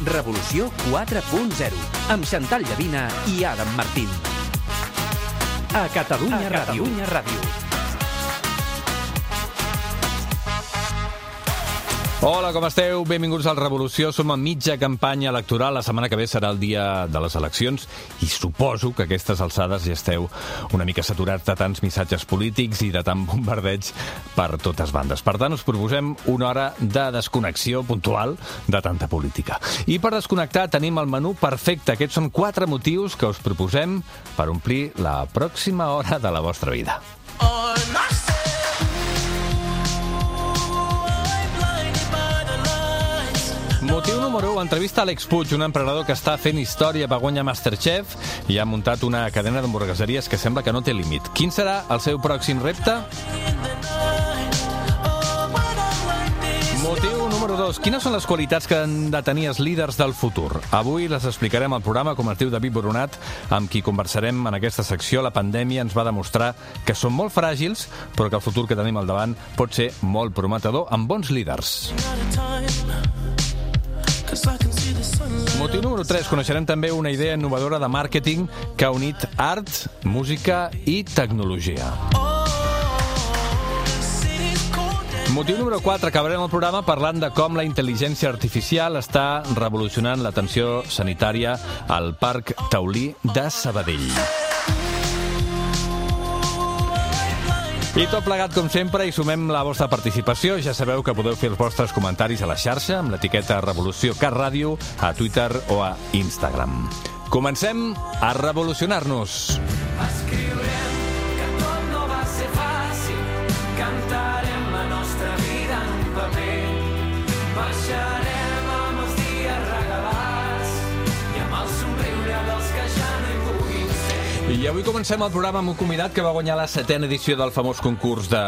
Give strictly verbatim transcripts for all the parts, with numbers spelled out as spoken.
Revolució quatre punt zero, amb Xantal Llavina i Adam Martín. A Catalunya a Ràdio. Catalunya Ràdio. Hola, com esteu? Benvinguts al Revolució. Som a mitja campanya electoral. La setmana que ve serà el dia de les eleccions i suposo que a aquestes alçades ja esteu una mica saturats de tants missatges polítics i de tant bombardeig per totes bandes. Per tant, us proposem una hora de desconnexió puntual de tanta política. I per desconnectar tenim el menú perfecte. Aquests són quatre motius que us proposem per omplir la pròxima hora de la vostra vida. Motiu número u, entrevista a Àlex Puig, un emprenedor que està fent història, va guanyar Masterchef i ha muntat una cadena d'hamburgueseries que sembla que no té límit. Quin serà el seu pròxim repte? Motiu número dos, quines són les qualitats que han de tenir els líders del futur? Avui les explicarem al programa, com es diu David Boronat, amb qui conversarem en aquesta secció. La pandèmia ens va demostrar que som molt fràgils, però que el futur que tenim al davant pot ser molt prometedor amb bons líders. Motiu número tres. Coneixerem també una idea innovadora de màrqueting que ha unit art, música i tecnologia. Motiu número quatre. Acabarem el programa parlant de com la intel·ligència artificial està revolucionant l'atenció sanitària al Parc Taulí de Sabadell. I tot plegat, com sempre, i sumem la vostra participació. Ja sabeu que podeu fer els vostres comentaris a la xarxa amb l'etiqueta Revolució Cat Ràdio a Twitter o a Instagram. Comencem a revolucionar-nos. Escriurem que tot no va ser fàcil, cantarem la nostra vida en un paper, baixarem amb els dies regalats i amb el somriure dels que ja no hi puguin ser. I avui comencem el programa amb un convidat que va guanyar la setena edició del famós concurs de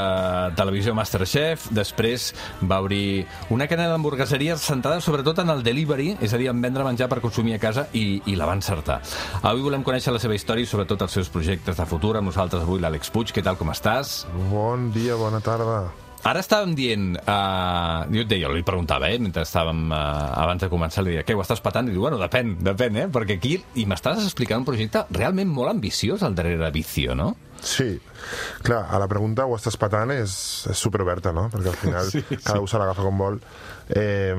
televisió Masterchef. Després va obrir una cadena d'hamburgueseries centrada sobretot en el delivery, és a dir, en vendre menjar per consumir a casa, i, i la va encertar. Avui volem conèixer la seva història i sobretot els seus projectes de futur. Amb nosaltres avui l'Àlex Puig. Què tal, com estàs? Bon dia, bona tarda. Ara estàvem dient, uh, jo et deia, li preguntava, eh, mentre estàvem, uh, abans de començar, li deia, què, ho estàs patant? I diu, bueno, depèn, depèn, eh, perquè aquí, i m'estàs explicant un projecte realment molt ambiciós al darrere de Vicio, no? Sí, clar, a la pregunta ho estàs patant és, és superoberta, no? Perquè al final sí, cada sí. un se l'agafa com vol, eh,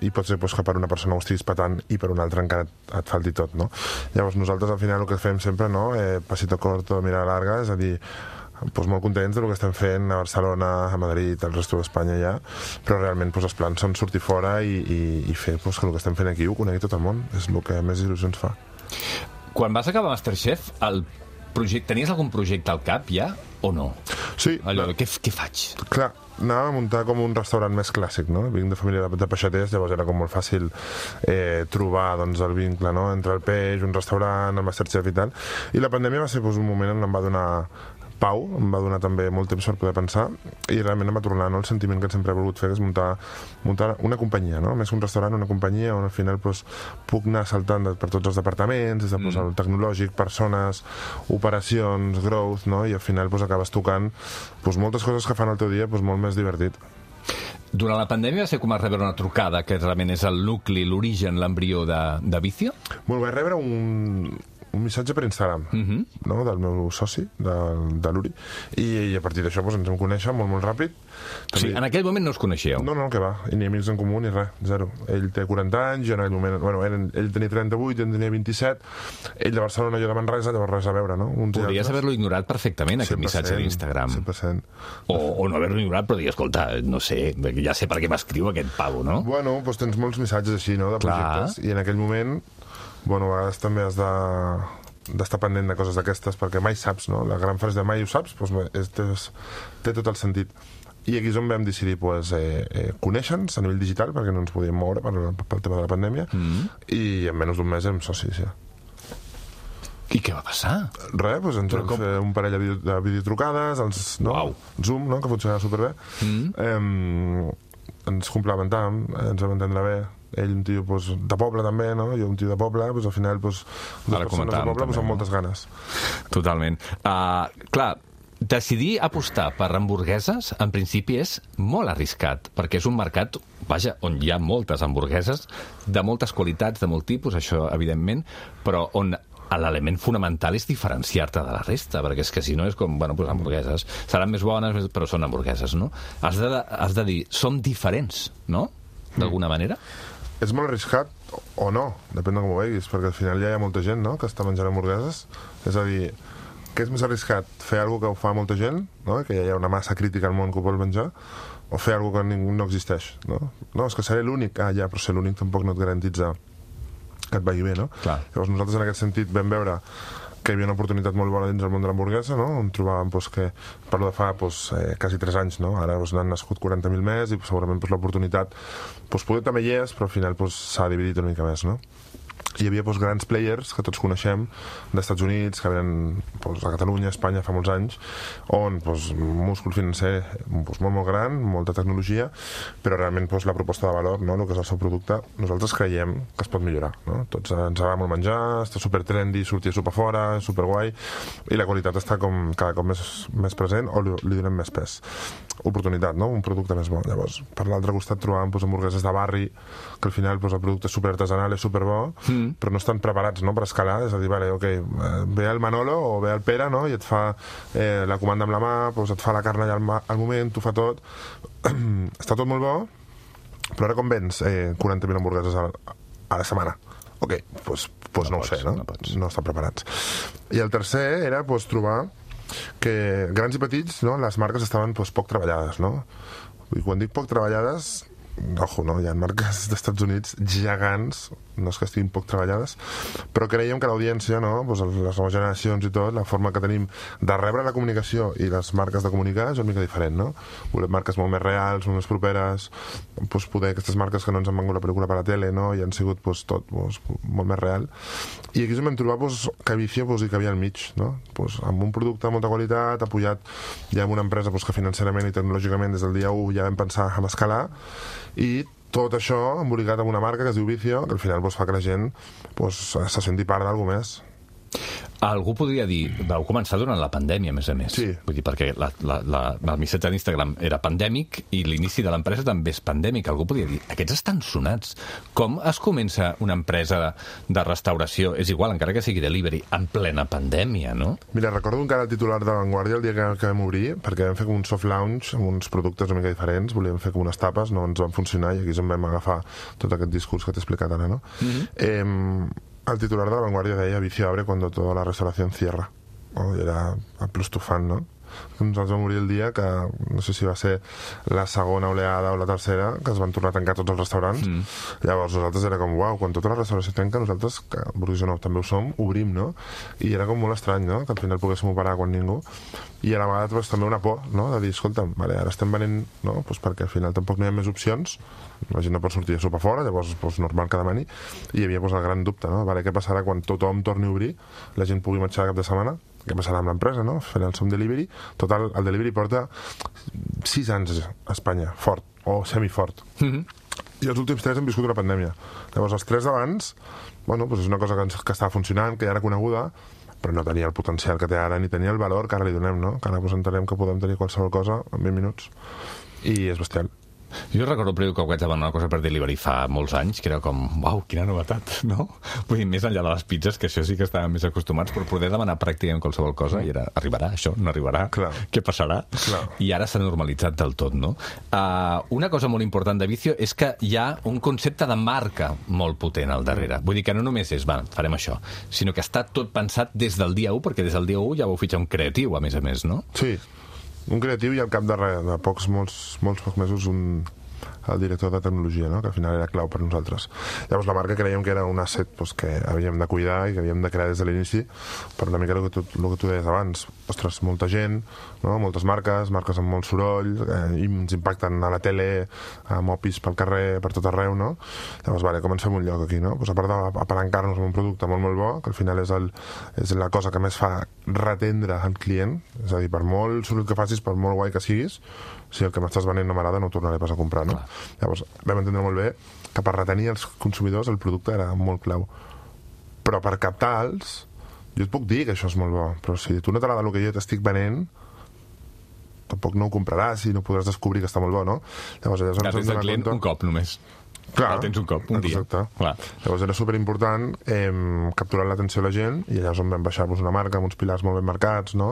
i pot ser pues, que per una persona ho estiguis patant i per una altra encara et, et falti tot, no? Llavors nosaltres al final el que fem sempre, no? Eh, pasito corto, mirada larga, és a dir, pues molt contents del que estem fent a Barcelona, a Madrid, al resto d'Espanya ja, però realment pues, els plans són sortir fora i, i, i fer pues, que el que estem fent aquí ho conegui tot el món, és el que més il·lusions fa. Quan vas acabar Masterchef, el projecte, tenies algun projecte al cap ja o no? Sí. Allò, què, què faig? Clar, anava a muntar com un restaurant més clàssic, no? Vinc de família de, de peixaters, llavors era com molt fàcil eh, trobar doncs, el vincle, no? Entre el peix, un restaurant, el Masterchef i tal. I la pandèmia va ser doncs, un moment on em va donar pau, em va donar també molt temps per poder pensar i realment em va tornar, no, el sentiment que sempre he volgut fer, que és muntar, muntar una companyia, no? Més que un restaurant, una companyia on al final pues, puc anar saltant per tots els departaments, des de pues, el tecnològic, persones, operacions, growth, no? I al final pues, acabes tocant pues, moltes coses que fan el teu dia pues, molt més divertit. Durant la pandèmia va ser com a rebre una trucada, que realment és el nucli, l'origen, l'embrió de, de Vicio? Bueno, vaig rebre un... un missatge per Instagram, uh-huh. no? Del meu soci, de, de l'Uri, I, i a partir d'això pues, ens vam conèixer molt, molt ràpid. O sigui, en aquell moment no us coneixíeu? No, no, que va, i ni amics en comú ni res, zero. Ell té quaranta anys, jo en aquell moment, bueno, ell, ell tenia trenta-vuit, jo en tenia vint-i-set, ell de Barcelona, jo de Manresa, llavors res a veure, no? Uns Podries haver-lo ignorat perfectament, aquest missatge d'Instagram. cent per cent. O, o no haver-lo ignorat, però dir, escolta, no sé, ja sé per què m'escriu aquest pavo, no? Bueno, doncs tens molts missatges així, no?, de projectes, Clar. I en aquell moment, bueno, a vegades també has de... d'estar pendent de coses d'aquestes, perquè mai saps, no? La gran frase de mai ho saps, doncs és, és, té tot el sentit. I aquí és on vam decidir pues, eh, eh, conèixer-nos a nivell digital, perquè no ens podíem moure per, pel tema de la pandèmia, mm. i en menys d'un mes érem socis, ja. I què va passar? Res, doncs ens vam com... fer un parell de, video, de videotrucades, els, no? Uau. Zoom, no? Que funcionava superbé. Mm. Eh, ens complementàvem, ens vam entendre bé. Ell un tio pues, de poble també, no? Jo un tio de poble, pues, al final pues, dues persones de poble pues, amb moltes ganes. Totalment. Uh, clar, decidir apostar per hamburgueses, en principi, és molt arriscat, perquè és un mercat, vaja, on hi ha moltes hamburgueses, de moltes qualitats, de molt tipus, això, evidentment, però on l'element fonamental és diferenciar-te de la resta, perquè és que si no és com, bueno, doncs hamburgueses, seran més bones, però són hamburgueses, no? Has de, has de dir, som diferents, no? D'alguna manera? És molt arriscat o no, depèn de com ho veguis, perquè al final ja hi ha molta gent, no?, que està menjant hamburgueses. És a dir, què és més arriscat? Fer alguna que ho fa molta gent, no?, que ja hi ha una massa crítica al món que ho vol menjar, o fer alguna que ningú no existeix, no? No, és que seré l'únic. Ah, ja, però ser l'únic tampoc no et garantitza que et vagi bé, no? Clar. Llavors nosaltres en aquest sentit vam veure que hi havia una oportunitat molt bona dins del món de l'hamburguesa, no? On trobàvem doncs, que, parlo de fa doncs, eh, quasi tres anys, no? Ara doncs, n'han nascut quaranta mil més i segurament doncs, l'oportunitat doncs, poder també hi és, però al final doncs, s'ha dividit una mica més, no? Hi havia doncs, grans players que tots coneixem d'Estats Units, que venen doncs, a Catalunya, a Espanya, fa molts anys, on doncs, múscul financer doncs, molt, molt gran, molta tecnologia, però realment doncs, la proposta de valor, no? El que és el seu producte, nosaltres creiem que es pot millorar, no? Tots ens agrada molt menjar, està super trendy, sortir a sopar fora, super guai, i la qualitat està com cada cop més, més present o li, li donem més pes. Oportunitat, no? Un producte més bo. Llavors, per l'altre costat trobàvem doncs, hamburgueses de barri, que al final doncs, el producte és super artesanal, és super bo, mm. però no estan preparats, no?, per escalar. És a dir, vale, okay, ve el Manolo o ve el Pere, no?, i et fa eh, la comanda amb la mà, doncs et fa la carn allà al, al moment, t'ho fa tot. Està tot molt bo, però ara com vens eh, quaranta mil hamburgueses a, a la setmana? Ok, doncs, doncs no, no ho sé, no? No, no estan preparats. I el tercer era doncs, trobar que grans i petits, no?, les marques estaven doncs, poc treballades, no? I quan dic poc treballades, ojo, no? Hi ha marques d'Estats Units gegants, no és que estiguin poc treballades, però creiem que l'audiència, no? Pues les noves generacions i tot, la forma que tenim de rebre la comunicació i les marques de comunicar és una mica diferent, no? Volem marques molt més reals, molt més properes, pues poder aquestes marques que no ens han vengut la pel·lícula per la tele, no? I han sigut pues, tot pues, molt més real. I aquí ens vam trobar pues, que Vicio pues, hi cabia al mig, no? Pues, amb un producte de molta qualitat, apoyat ja amb una empresa pues, que financerament i tecnològicament des del dia u ja vam pensar en escalar, i tot això embolicat amb una marca que es diu Vicio, que al final doncs, fa que la gent doncs, se senti part d'alguna més. Algú podria dir, vau començar durant la pandèmia, a més a més. Sí. Vull dir, perquè la, la, la, el missatge d'Instagram era pandèmic i l'inici de l'empresa també és pandèmic. Algú podria dir, aquests estan sonats. Com es comença una empresa de, de restauració, és igual, encara que sigui delivery, en plena pandèmia, no? Mira, recordo encara el titular de Vanguardia el dia que, que vam obrir, perquè vam fer com un soft launch amb uns productes una mica diferents, volíem fer com unes tapes, no ens van funcionar i aquí és on vam agafar tot aquest discurs que t'he explicat ara, no? Mm-hmm. Eh, El titular de la Vanguardia deia Vicio abre cuando toda la restauración cierra. Oh, i era el plus tu fan, no? Nosaltres vam morir el dia que, no sé si va ser la segona oleada o la tercera, que es van tornar a tancar tots els restaurants. Mm. Llavors nosaltres era com, uau, quan tota la restauració tanca, nosaltres, que Burgues nou també ho som, obrim, no? I era com molt estrany, no?, que al final poguéssim operar quan ningú. I a la vegada pues, també una por, no?, de dir, escolta, vale, ara estem venent, no?, pues perquè al final tampoc no hi ha més opcions, la gent no pot sortir a sopar fora, llavors pues, normal que demani, i hi havia pues, el gran dubte, no?, vale, què passarà quan tothom torni a obrir, la gent pugui marxar cap de setmana, què passarà amb l'empresa, no?, fent el som delivery. Total, el delivery porta sis anys a Espanya, fort, o semifort. Mm-hmm. I els últims tres hem viscut una pandèmia. Llavors, els tres d'abans, bueno, pues és una cosa que, ens, que estava funcionant, que ja era coneguda, però no tenia el potencial que té ara, ni tenia el valor que ara li donem, no? Que ara pues, entenem que podem tenir qualsevol cosa en vint minuts. I és bestial. Jo recordo primer que vaig demanar una cosa per delivery fa molts anys, que era com, uau, quina novetat, no? Vull dir, més enllà de les pizzas, que això sí que estàvem més acostumats, però poder demanar pràcticament qualsevol cosa, i era, arribarà això, no arribarà, clar. Què passarà? Clar. I ara s'ha normalitzat del tot, no? Uh, una cosa molt important de Vicio és que hi ha un concepte de marca molt potent al darrere. Vull dir que no només és, va, farem això, sinó que està tot pensat des del dia u, perquè des del dia u ja vau fitxar un creatiu, a més a més, no? Sí, un creatiu i al cap de, re, de pocs, molts, molts pocs mesos un, el director de tecnologia, no? Que al final era clau per nosaltres. Llavors la marca creiem que era un asset pues, que havíem de cuidar i que havíem de crear des de l'inici, per una mica el que tu, el que tu deies abans. Ostres, molta gent, no? Moltes marques, marques amb molt soroll, eh, i ens impacten a la tele, a mopis pel carrer, per tot arreu, no? Llavors, vale, com ens fem un lloc aquí, no? Pues a part d'apalancar-nos amb un producte molt, molt bo, que al final és, el, és la cosa que més fa retendre el client, és a dir, per molt soroll que facis, per molt guai que siguis, si el que m'estàs venent no m'agrada no ho tornaré pas a comprar, no? Clar. Llavors vam entendre molt bé que per retenir els consumidors el producte era molt clau, però per captar-los jo et puc dir que això és molt bo, però si tu no t'agrada el que jo t'estic venent tampoc no ho compraràs i no podràs descobrir que està molt bo, no? Llavors, allà és on Ja ens tens hem el donat client compte- un cop només. Clar, el tens un cop, un dia. exacte. Clar. Llavors era superimportant eh, capturar l'atenció de la gent i allà és on vam baixar-vos una marca amb uns pilars molt ben marcats, no?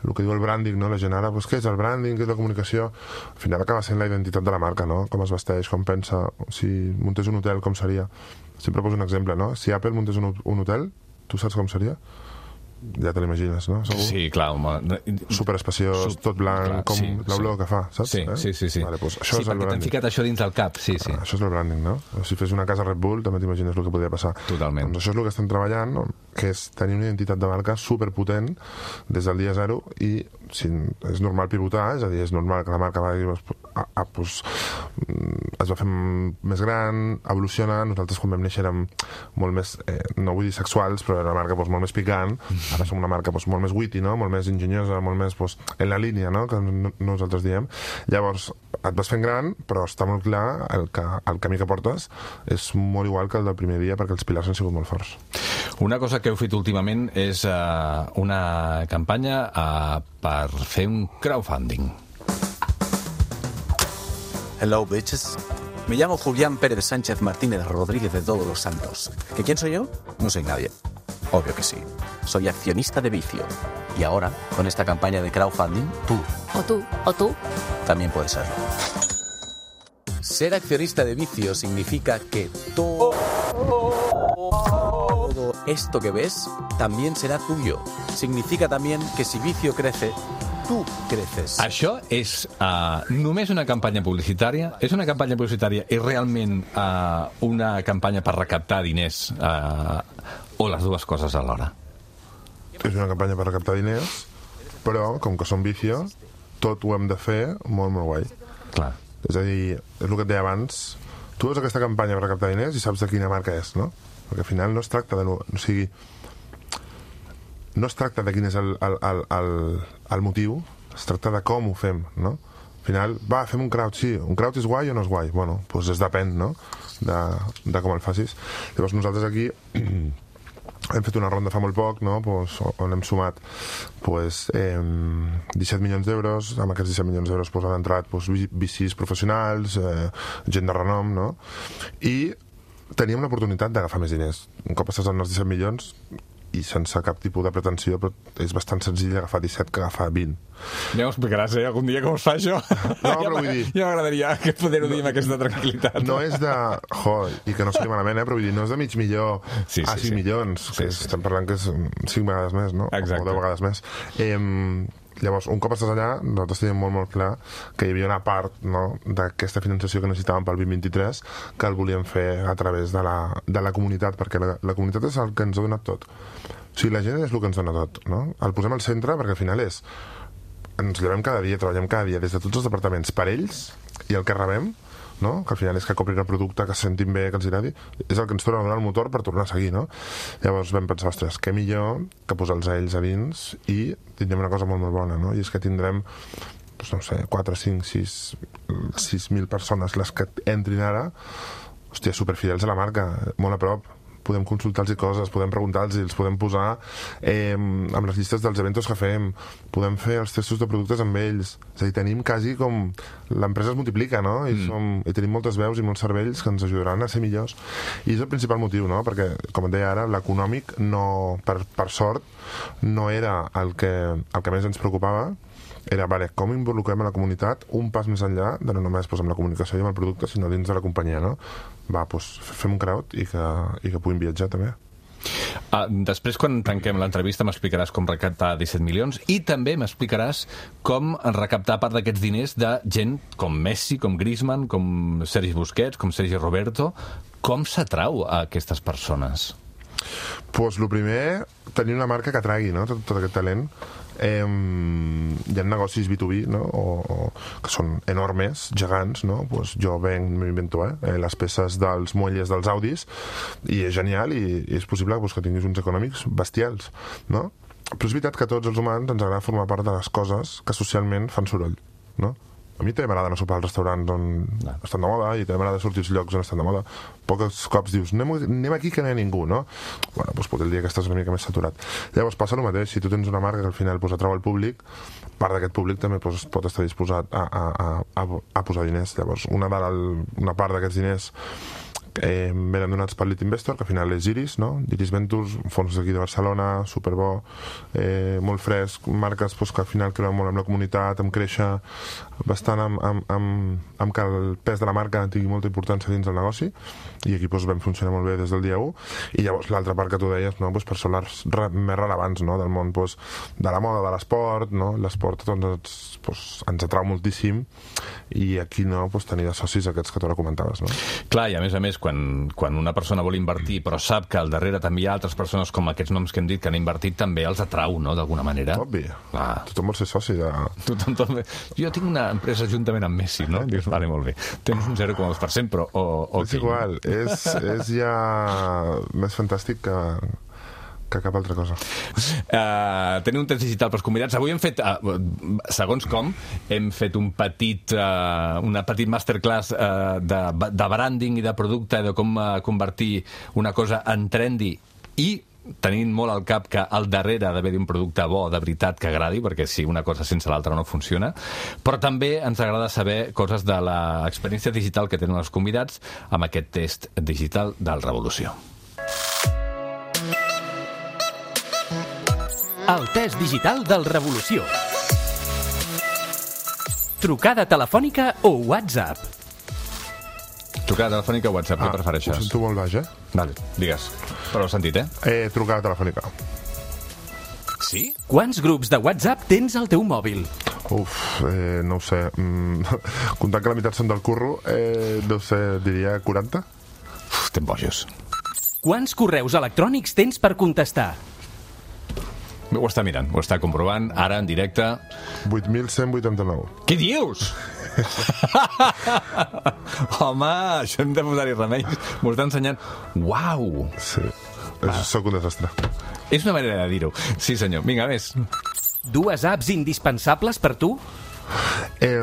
El que diu el branding, no? La gent ara, pues, què és el branding, què és la comunicació? Al final acaba sent la identitat de la marca, no? Com es vesteix, com pensa, si muntés un hotel, com seria? Sempre poso un exemple, no? Si Apple muntés un, un hotel, tu saps com seria? Ja te l'imagines, no? Segur? Sí, clar, home. Superespaciós, Sup- tot blanc, clar, com sí, l'olor sí. que fa, saps? Sí, eh? sí, sí. sí. Vale, doncs això sí, és el perquè t'han branding. ficat això dins del cap, sí, sí. Ah, això és el branding, no? Si fes una casa Red Bull, també t'imagines el que podria passar. Totalment. Doncs això és el que estem treballant, no? Que és tenir una identitat de marca superpotent des del dia zero i si és normal pivotar, és a dir, és normal que la marca va dir, a, a, pues, mm, es va fer més gran, evoluciona, nosaltres quan vam néixer érem molt més, eh, no vull dir sexuals, però era una marca pues, molt més picant, ara som una marca pues, molt més witty, no? Molt més enginyosa, molt més pues, en la línia, no? Que no- nosaltres diem. Llavors, et vas fent gran, però està molt clar el, que, el camí que portes és molt igual que el del primer dia perquè els pilars han sigut molt forts. Una cosa que heu fet últimament és uh, una campanya uh, per fer un crowdfunding. Hello, bitches. Me llamo Julián Pérez Sánchez Martínez Rodríguez de Todos los Santos. ¿Que quién soy yo? No soy nadie. Obvio que sí. Soy accionista de Vicio. Y ahora, con esta campaña de crowdfunding, tú O tú, o tú. también puedes serlo. Ser accionista de Vicio significa que todo esto que ves también será tuyo. Significa también que si Vicio crece, tú creces. Això és uh, només una campanya publicitària? És una campanya publicitària i realment uh, una campanya per recaptar diners? Uh, o les dues coses alhora? És una campanya per recaptar diners, però, com que som Vicio, tot ho hem de fer molt, molt guai. Clar. És a dir, és el que et deia abans, tu veus aquesta campanya per recaptar diners i saps de quina marca és, no? Perquè al final no es tracta de... No, o sigui, no es tracta de quin és el, el, el, el, el motiu, es tracta de com ho fem, no? Al final, va, fem un crowd, sí, un crowd és guai o no és guai? Bueno, doncs es depèn, no?, de, de com el facis. Llavors nosaltres aquí hem fet una ronda fa molt poc, no?, pues, on hem sumat pues, eh, disset milions d'euros. Amb aquests disset milions d'euros pues, han entrat pues, V Cs professionals, eh, gent de renom, no? I teníem l'oportunitat d'agafar més diners. Un cop estàs en els disset milions i sense cap tipus de pretensió, però és bastant senzill agafar disset que agafar vint. Ja m'ho explicaràs, eh? Algun dia com es fa això? No, però vull dir... Ja m'agradaria que poder-ho dir amb aquesta tranquil·litat. No és de... Jo, i que no sigui malament, eh? Però vull dir, no és de mig milió Sí, sí, a cinc sí. milions, Sí, que sí, estem parlant que és cinc vegades més, no? Exacte. O deu vegades més. Eh, llavors, un cop estàs allà, nosaltres teníem molt, molt clar que hi havia una part, no?, d'aquesta finançació que necessitàvem pel vint vint-i-tres que el volíem fer a través de la, de la comunitat, perquè la, la comunitat és el que ens ha donat tot. O sigui, la gent és el que ens dona tot, no? El posem al centre perquè al final és... Ens llevem cada dia, treballem cada dia des de tots els departaments per ells i el que rebem, no?, que al final és que comprin el producte, que se sentin bé, que els agradi, és el que ens torna a donar el motor per tornar a seguir, no? Llavors vam pensar, ostres, què millor que posar-los a ells a dins i tindrem una cosa molt, molt bona, no? I és que tindrem, doncs no sé, quatre, cinc, sis mil persones les que entrin ara, hòstia, superfidels a la marca, molt a prop. Podem consultar-los coses, podem preguntar-los, els podem posar eh, amb les llistes dels eventos que fem, podem fer els testos de productes amb ells. És a dir, tenim quasi com... L'empresa es multiplica, no? I, mm. som, i tenim moltes veus i molts cervells que ens ajudaran a ser millors. I és el principal motiu, no? Perquè, com et deia ara, l'econòmic, no, per, per sort, no era el que, el que més ens preocupava. Era, vale, com involucrem a la comunitat un pas més enllà de no només pues, amb la comunicació i amb el producte, sinó dins de la companyia, no? Va, doncs, fem un crowd i que, i que puguin viatjar, també. Uh, després, quan tanquem l'entrevista, m'explicaràs com recaptar disset milions i també m'explicaràs com recaptar part d'aquests diners de gent com Messi, com Griezmann, com Sergi Busquets, com Sergi Roberto. Com s'atrau a aquestes persones? Pues, el primer, tenir una marca que atragui, no?, tot, tot aquest talent. Eh, hi ha negocis B dos B, no?, o, o, que són enormes, gegants, no? Pues jo venc, m'invento, eh, les peces dels muelles dels Audis i és genial i, i és possible pues, que tinguis uns econòmics bestials, no? Però és veritat que a tots els humans ens agrada formar part de les coses que socialment fan soroll, no? a mi també m'agrada anar a sopar als restaurants on no. estan de moda, i també m'agrada sortir als llocs on estan de moda. Pocs cops dius, anem, anem aquí que no hi ha ningú, no? Bueno, doncs potser el dia que estàs una mica més saturat. Llavors passa el mateix, si tu tens una marca que al final pues, atrau el públic, part d'aquest públic també pues, pot estar disposat a, a, a, a posar diners. Llavors, una, de la, una part d'aquests diners eh, venen donats per Lead Investor, que al final és Iris, no? Iris Ventures, un fons d'aquí de Barcelona, superbo, eh, molt fresc, marques pues, que al final creuen molt amb la comunitat, amb créixer bastant amb, amb, amb, amb que el pes de la marca tingui molta importància dins del negoci, i aquí pues, vam funcionar molt bé des del dia u. I llavors l'altra part que tu deies, no? pues, persones re, més rellevants, no? del món pues, de la moda, de l'esport, no? L'esport doncs, pues, ens atrau moltíssim, i aquí no pues, tenir de socis aquests que tu ara comentaves. No? Clar, i a més a més, quan, quan una persona vol invertir però sap que al darrere també hi ha altres persones com aquests noms que hem dit que han invertit, també els atrau, no?, d'alguna manera. Obvi. Ah. Tothom vol ser soci de... Tothom, tothom... Jo tinc una empresa juntament amb Messi, no? Dius, vale, molt bé. Tens un zero coma dos per cent, però... O, o és igual, és, és ja més fantàstic que... que cap altra cosa. Uh, tenim un temps digital pels convidats. Avui hem fet, uh, segons com, hem fet un petit, uh, una petit masterclass uh, de, de branding i de producte, de com uh, convertir una cosa en trendy, i tenint molt al cap que al darrere ha d'haver un producte bo, de veritat, que agradi, perquè si una cosa sense l'altra no funciona. Però també ens agrada saber coses de l'experiència digital que tenen els convidats amb aquest test digital del Revolució. El test digital del Revolució. Trucada telefònica o WhatsApp? Trucada telefònica o WhatsApp, ah, què prefereixes? Ho sento molt baix, eh? Vale, digues. Però ho he sentit, eh? Eh, trucada telefònica. Sí? Quants grups de WhatsApp tens al teu mòbil? Uf, eh, no ho sé. Mm, comptant que la meitat són del curro, eh, deu ser, diria, quaranta? Uf, estem bojos. Quants correus electrònics tens per contestar? Ho està mirant, ho està comprovant, ara en directe. vuit mil cent vuitanta-nou. Què dius? Home, això hem de posar-hi remei. M'ho està ensenyant. Uau! Sí, sóc un desastre. És una manera de dir-ho. Sí, senyor. Vinga, més. Dues apps indispensables per tu? Eh,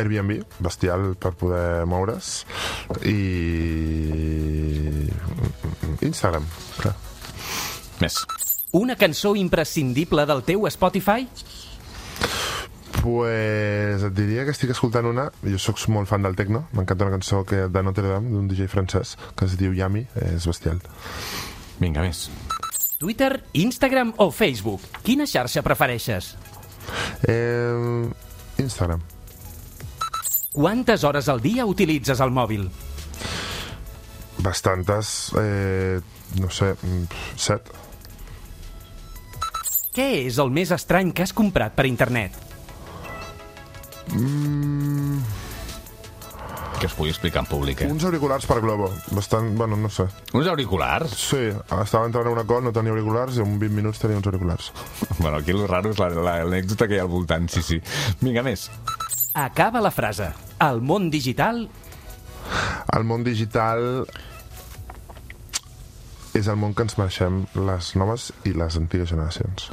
Airbnb, bestial per poder moure's, i Instagram, clar. Més. Una cançó imprescindible del teu Spotify? Pues et diria que estic escoltant una, jo sóc molt fan del techno, m'encanta una cançó que, de Notre Dame, d'un D J francès, que es diu Yami, és bestial. Vinga, més. Twitter, Instagram o Facebook? Quina xarxa prefereixes? Eh, Instagram. Quantes hores al dia utilitzes el mòbil? Bastantes, eh, no sé, set. Què és el més estrany que has comprat per internet? Mm... Que es pugui explicar en públic, eh? Uns auriculars per Globo, bastant, bueno, no sé. Uns auriculars? Sí, estava entrant a una call, no tenia auriculars, i en vint minuts tenia uns auriculars. Bueno, aquí el raro és l'anècdota que hi ha al voltant, sí, sí. Vinga, més. Acaba la frase. El món digital... El món digital és el món que ens mereixem les noves i les antigues generacions.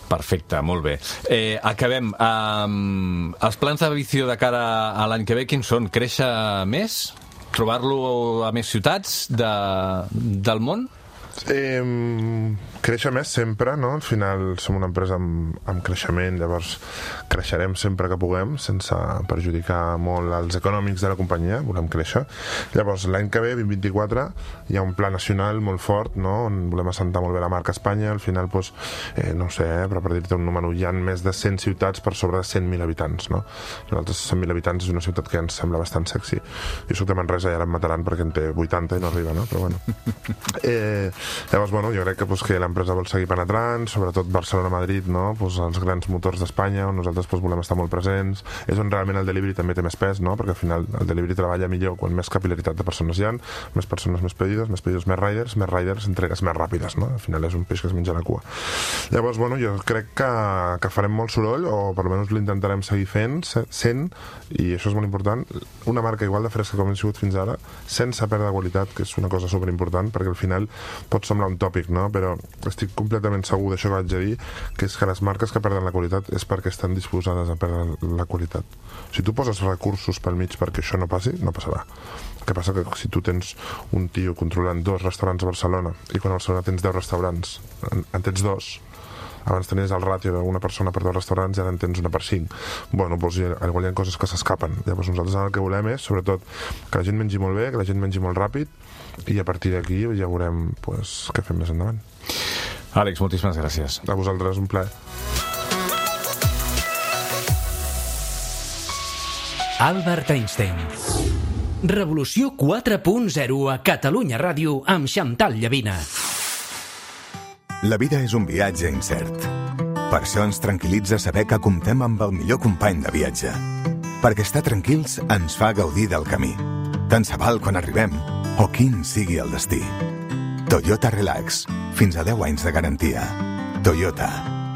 Perfecte, molt bé. Eh, acabem. Um, els plans de Vicio de cara a l'any que ve, quins són? Créixer més? Trobar-lo a més ciutats de, del món? Eh, créixer més sempre, no? Al final som una empresa amb, amb creixement, llavors creixerem sempre que puguem, sense perjudicar molt els econòmics de la companyia, volem créixer. Llavors, l'any que ve, vint vint-i-quatre, hi ha un pla nacional molt fort, no? On volem assentar molt bé la marca Espanya, al final, doncs, eh, no sé, eh, però per dir-te un número, hi ha més de cent ciutats per sobre de cent mil habitants, no? Nosaltres, cent mil habitants, és una ciutat que ens sembla bastant sexy. Jo soc de Manresa i ara em mataran perquè en té vuitanta i no arriba, no? Però bueno. Eh, Llavors, bueno, jo crec que, pues, que l'empresa vol seguir penetrant, sobretot Barcelona-Madrid, no? Pues, els grans motors d'Espanya, on nosaltres pues, volem estar molt presents. És on realment el delivery també té més pes, no? Perquè al final el delivery treballa millor quan més capil·laritat de persones hi ha, més persones, més pedidos, més pedidos, més riders, més riders, entregues més ràpides, no? Al final és un peix que es menja la cua. Llavors, bueno, jo crec que, que farem molt soroll, o per almenys l'intentarem seguir fent, sent, i això és molt important, una marca igual de fresca com hem sigut fins ara, sense perdre qualitat, que és una cosa superimportant, perquè al final pot semblar un tòpic, no? Però estic completament segur d'això que vaig a dir, que és que les marques que perden la qualitat és perquè estan disposades a perdre la qualitat. Si tu poses recursos pel mig perquè això no passi, no passarà. El que passa que si tu tens un tio controlant dos restaurants a Barcelona i quan a Barcelona tens deu restaurants, en, en tens dos, abans tenies el ràtio d'una persona per dos restaurants i ara en tens una per cinc. Bueno, doncs hi ha, hi ha coses que s'escapen. Llavors nosaltres el que volem és, sobretot, que la gent mengi molt bé, que la gent mengi molt ràpid, i a partir d'aquí ja veurem pues, què fem més endavant. Àlex, moltíssimes gràcies. A vosaltres, un plaer. Albert Einstein. Revolució quatre punt zero a Catalunya Ràdio amb Xantal Llavina. La vida és un viatge incert. Per això ens tranquil·litza saber que comptem amb el millor company de viatge. Perquè estar tranquils ens fa gaudir del camí. Tant se val quan arribem o quin sigui el destí. Toyota Relax. Fins a deu anys de garantia. Toyota,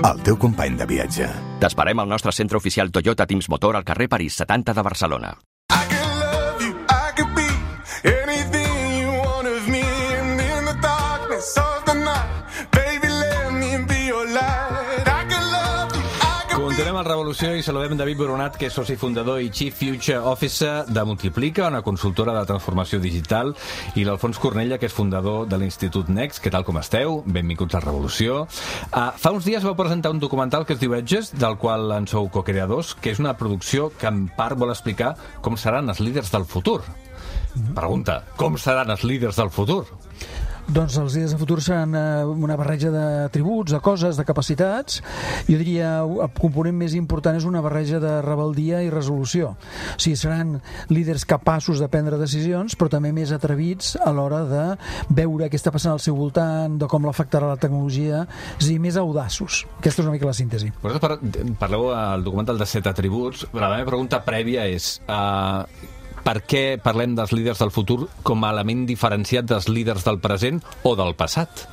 el teu company de viatge. T'esperem al nostre centre oficial Toyota Teams Motor al carrer París setanta de Barcelona. Continuem a Revolució i saludem David Boronat, que és soci fundador i Chief Future Officer de Multiplica, una consultora de transformació digital, i l'Alfons Cornella, que és fundador de l'Institut Next. Què tal, com esteu? Benvinguts a Revolució. Uh, fa uns dies vau presentar un documental que es diu Edges, del qual en sou cocreadors, que és una producció que en part vol explicar com seran els líders del futur. Pregunta, com seran els líders del futur? Doncs els líders de futur seran una barreja d'atributs, de coses, de capacitats. Jo diria el component més important és una barreja de rebeldia i resolució. O sigui, seran líders capaços de prendre decisions, però també més atrevits a l'hora de veure què està passant al seu voltant, de com l'afectarà la tecnologia, és a dir, més audaços. Aquesta és una mica la síntesi. Vosaltres parleu al documental de set atributs, però la meva pregunta prèvia és... Uh, per què parlem dels líders del futur com a element diferenciat dels líders del present o del passat?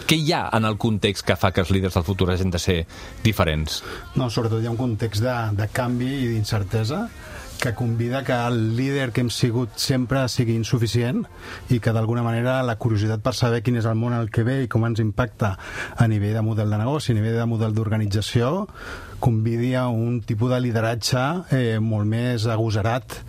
Què hi ha en el context que fa que els líders del futur hagin de ser diferents? No, sobretot hi ha un context de, de canvi i d'incertesa que convida que el líder que hem sigut sempre sigui insuficient i que d'alguna manera la curiositat per saber quin és el món al que ve i com ens impacta a nivell de model de negoci, a nivell de model d'organització, convidi a un tipus de lideratge eh, molt més agosarat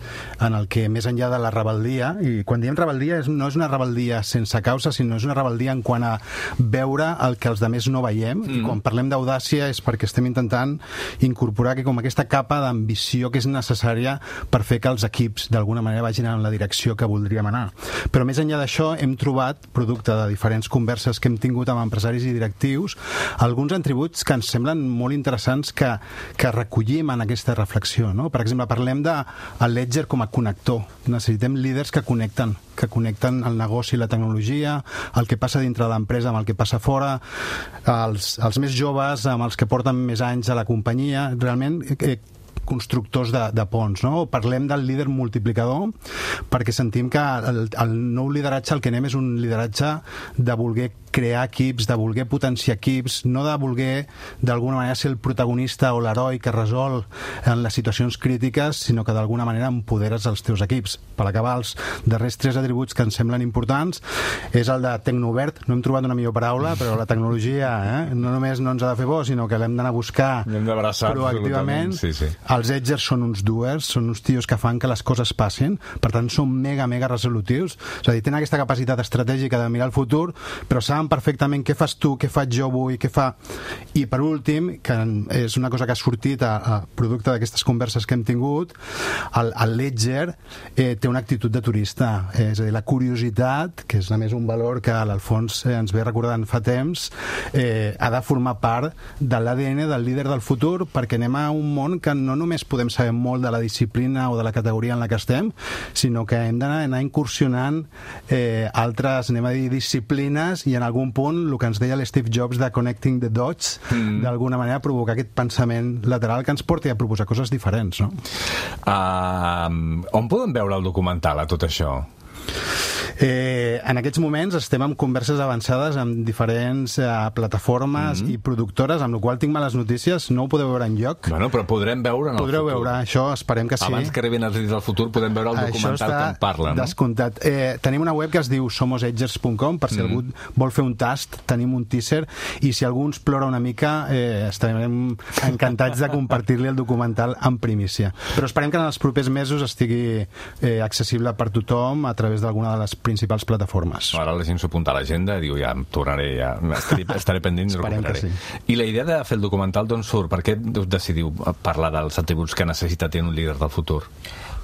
en el que més enllà de la rebeldia, i quan diem rebeldia és, no és una rebeldia sense causa, sinó és una rebeldia en quant a veure el que els altres no veiem, mm. i quan parlem d'audàcia és perquè estem intentant incorporar que com aquesta capa d'ambició que és necessària per fer que els equips d'alguna manera vagin en la direcció que voldríem anar. Però més enllà d'això hem trobat, producte de diferents converses que hem tingut amb empresaris i directius, alguns atributs que ens semblen molt interessants que, que recollim en aquesta reflexió, no? Per exemple, parlem de el Ledger com a connector. Necessitem líders que connecten, que connecten el negoci i la tecnologia, el que passa dintre de l'empresa amb el que passa fora, els, els més joves amb els que porten més anys a la companyia, realment eh, constructors de, de ponts, no? Parlem del líder multiplicador perquè sentim que el, el nou lideratge el que anem és un lideratge de voler crear equips, de voler potenciar equips, no de voler d'alguna manera ser el protagonista o l'heroi que resol en les situacions crítiques, sinó que d'alguna manera empoderes els teus equips. Per acabar, els darrers tres atributs que ens semblen importants és el de tecnoverd, no hem trobat una millor paraula, però la tecnologia eh, no només no ens ha de fer bo, sinó que l'hem d'anar a buscar proactivament. Sí, sí. Els edgers són uns doers, són uns tios que fan que les coses passin, per tant són mega, mega resolutius, és a dir, tenen aquesta capacitat estratègica de mirar el futur, però saben perfectament què fas tu, què faig jo avui, què fa... I per últim, que és una cosa que ha sortit a, a producte d'aquestes converses que hem tingut, el, el Ledger eh, té una actitud de turista, eh, és a dir, la curiositat, que és a més un valor que l'Alfons eh, ens ve recordant fa temps, eh, ha de formar part de l'A D N del líder del futur, perquè anem a un món que no només podem saber molt de la disciplina o de la categoria en la que estem, sinó que hem d'anar anar incursionant eh, altres, anem a dir, disciplines, i en algun punt, el que ens deia l'Steve Jobs de connecting the dots, mm. d'alguna manera provocar aquest pensament lateral que ens porti a proposar coses diferents, no? Uh, on podem veure el documental a tot això? Eh, en aquests moments estem en converses avançades amb diferents eh, plataformes mm -hmm. i productores, amb la qual tinc males notícies, no ho podeu veure enlloc. Bueno, però podrem veure en el Podreu futur. veure, això esperem que sí. Abans que arribin els líders del futur podem veure el documental que en parla, no? Descomptat. Eh, tenim una web que es diu somos edgers punt com, per si mm. algú vol fer un tast, tenim un teaser, i si algú ens plora una mica, eh, estarem encantats de compartir-li el documental en primícia. Però esperem que en els propers mesos estigui eh, accessible per tothom a través d'alguna de les principals plataformes. Ara la gent s'ho apunta a l'agenda i diu, ja, em tornaré, ja, estaré, estaré pendent i recuperaré. Sí. I la idea de fer el documental d'on surt? Per què decidiu parlar dels atributs que necessita tenir un líder del futur?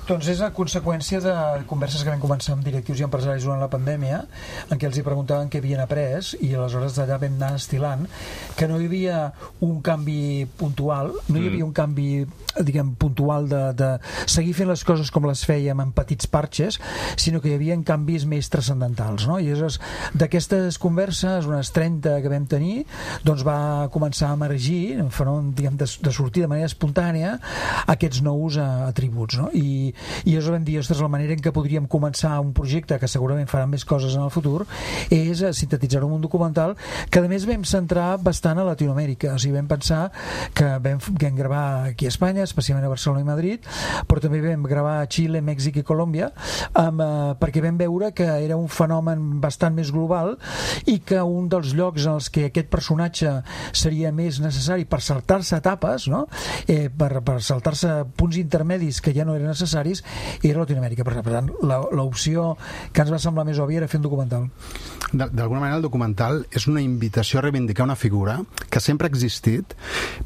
Doncs és a conseqüència de converses que vam començar amb directius i empresaris durant la pandèmia, en què els hi preguntaven què havien après, i aleshores d'allà vam anar estilant que no hi havia un canvi puntual, no hi havia un canvi diguem, puntual de, de seguir fent les coses com les fèiem en petits parxes, sinó que hi havia canvis més transcendentals, no? I aleshores d'aquestes converses, unes trenta que vam tenir, doncs va començar a emergir, un fenomen, diguem, de, de sortir de manera espontània aquests nous uh, atributs, no? I i llavors vam dir, ostres, la manera en què podríem començar un projecte que segurament farà més coses en el futur és sintetitzar-ho en un documental que a més vam centrar bastant a Latinoamèrica, o sigui, vam pensar que vam, vam gravar aquí a Espanya, especialment a Barcelona i Madrid, però també vam gravar a Xile, Mèxic i Colòmbia, amb, eh, perquè vam veure que era un fenomen bastant més global i que un dels llocs en els que aquest personatge seria més necessari per saltar-se etapes, no? eh, per, per saltar-se punts intermedis que ja no eren necessaris, era Latinoamèrica. Per tant, l'opció que ens va semblar més òbvia era fer un documental. D'alguna manera el documental és una invitació a reivindicar una figura que sempre ha existit,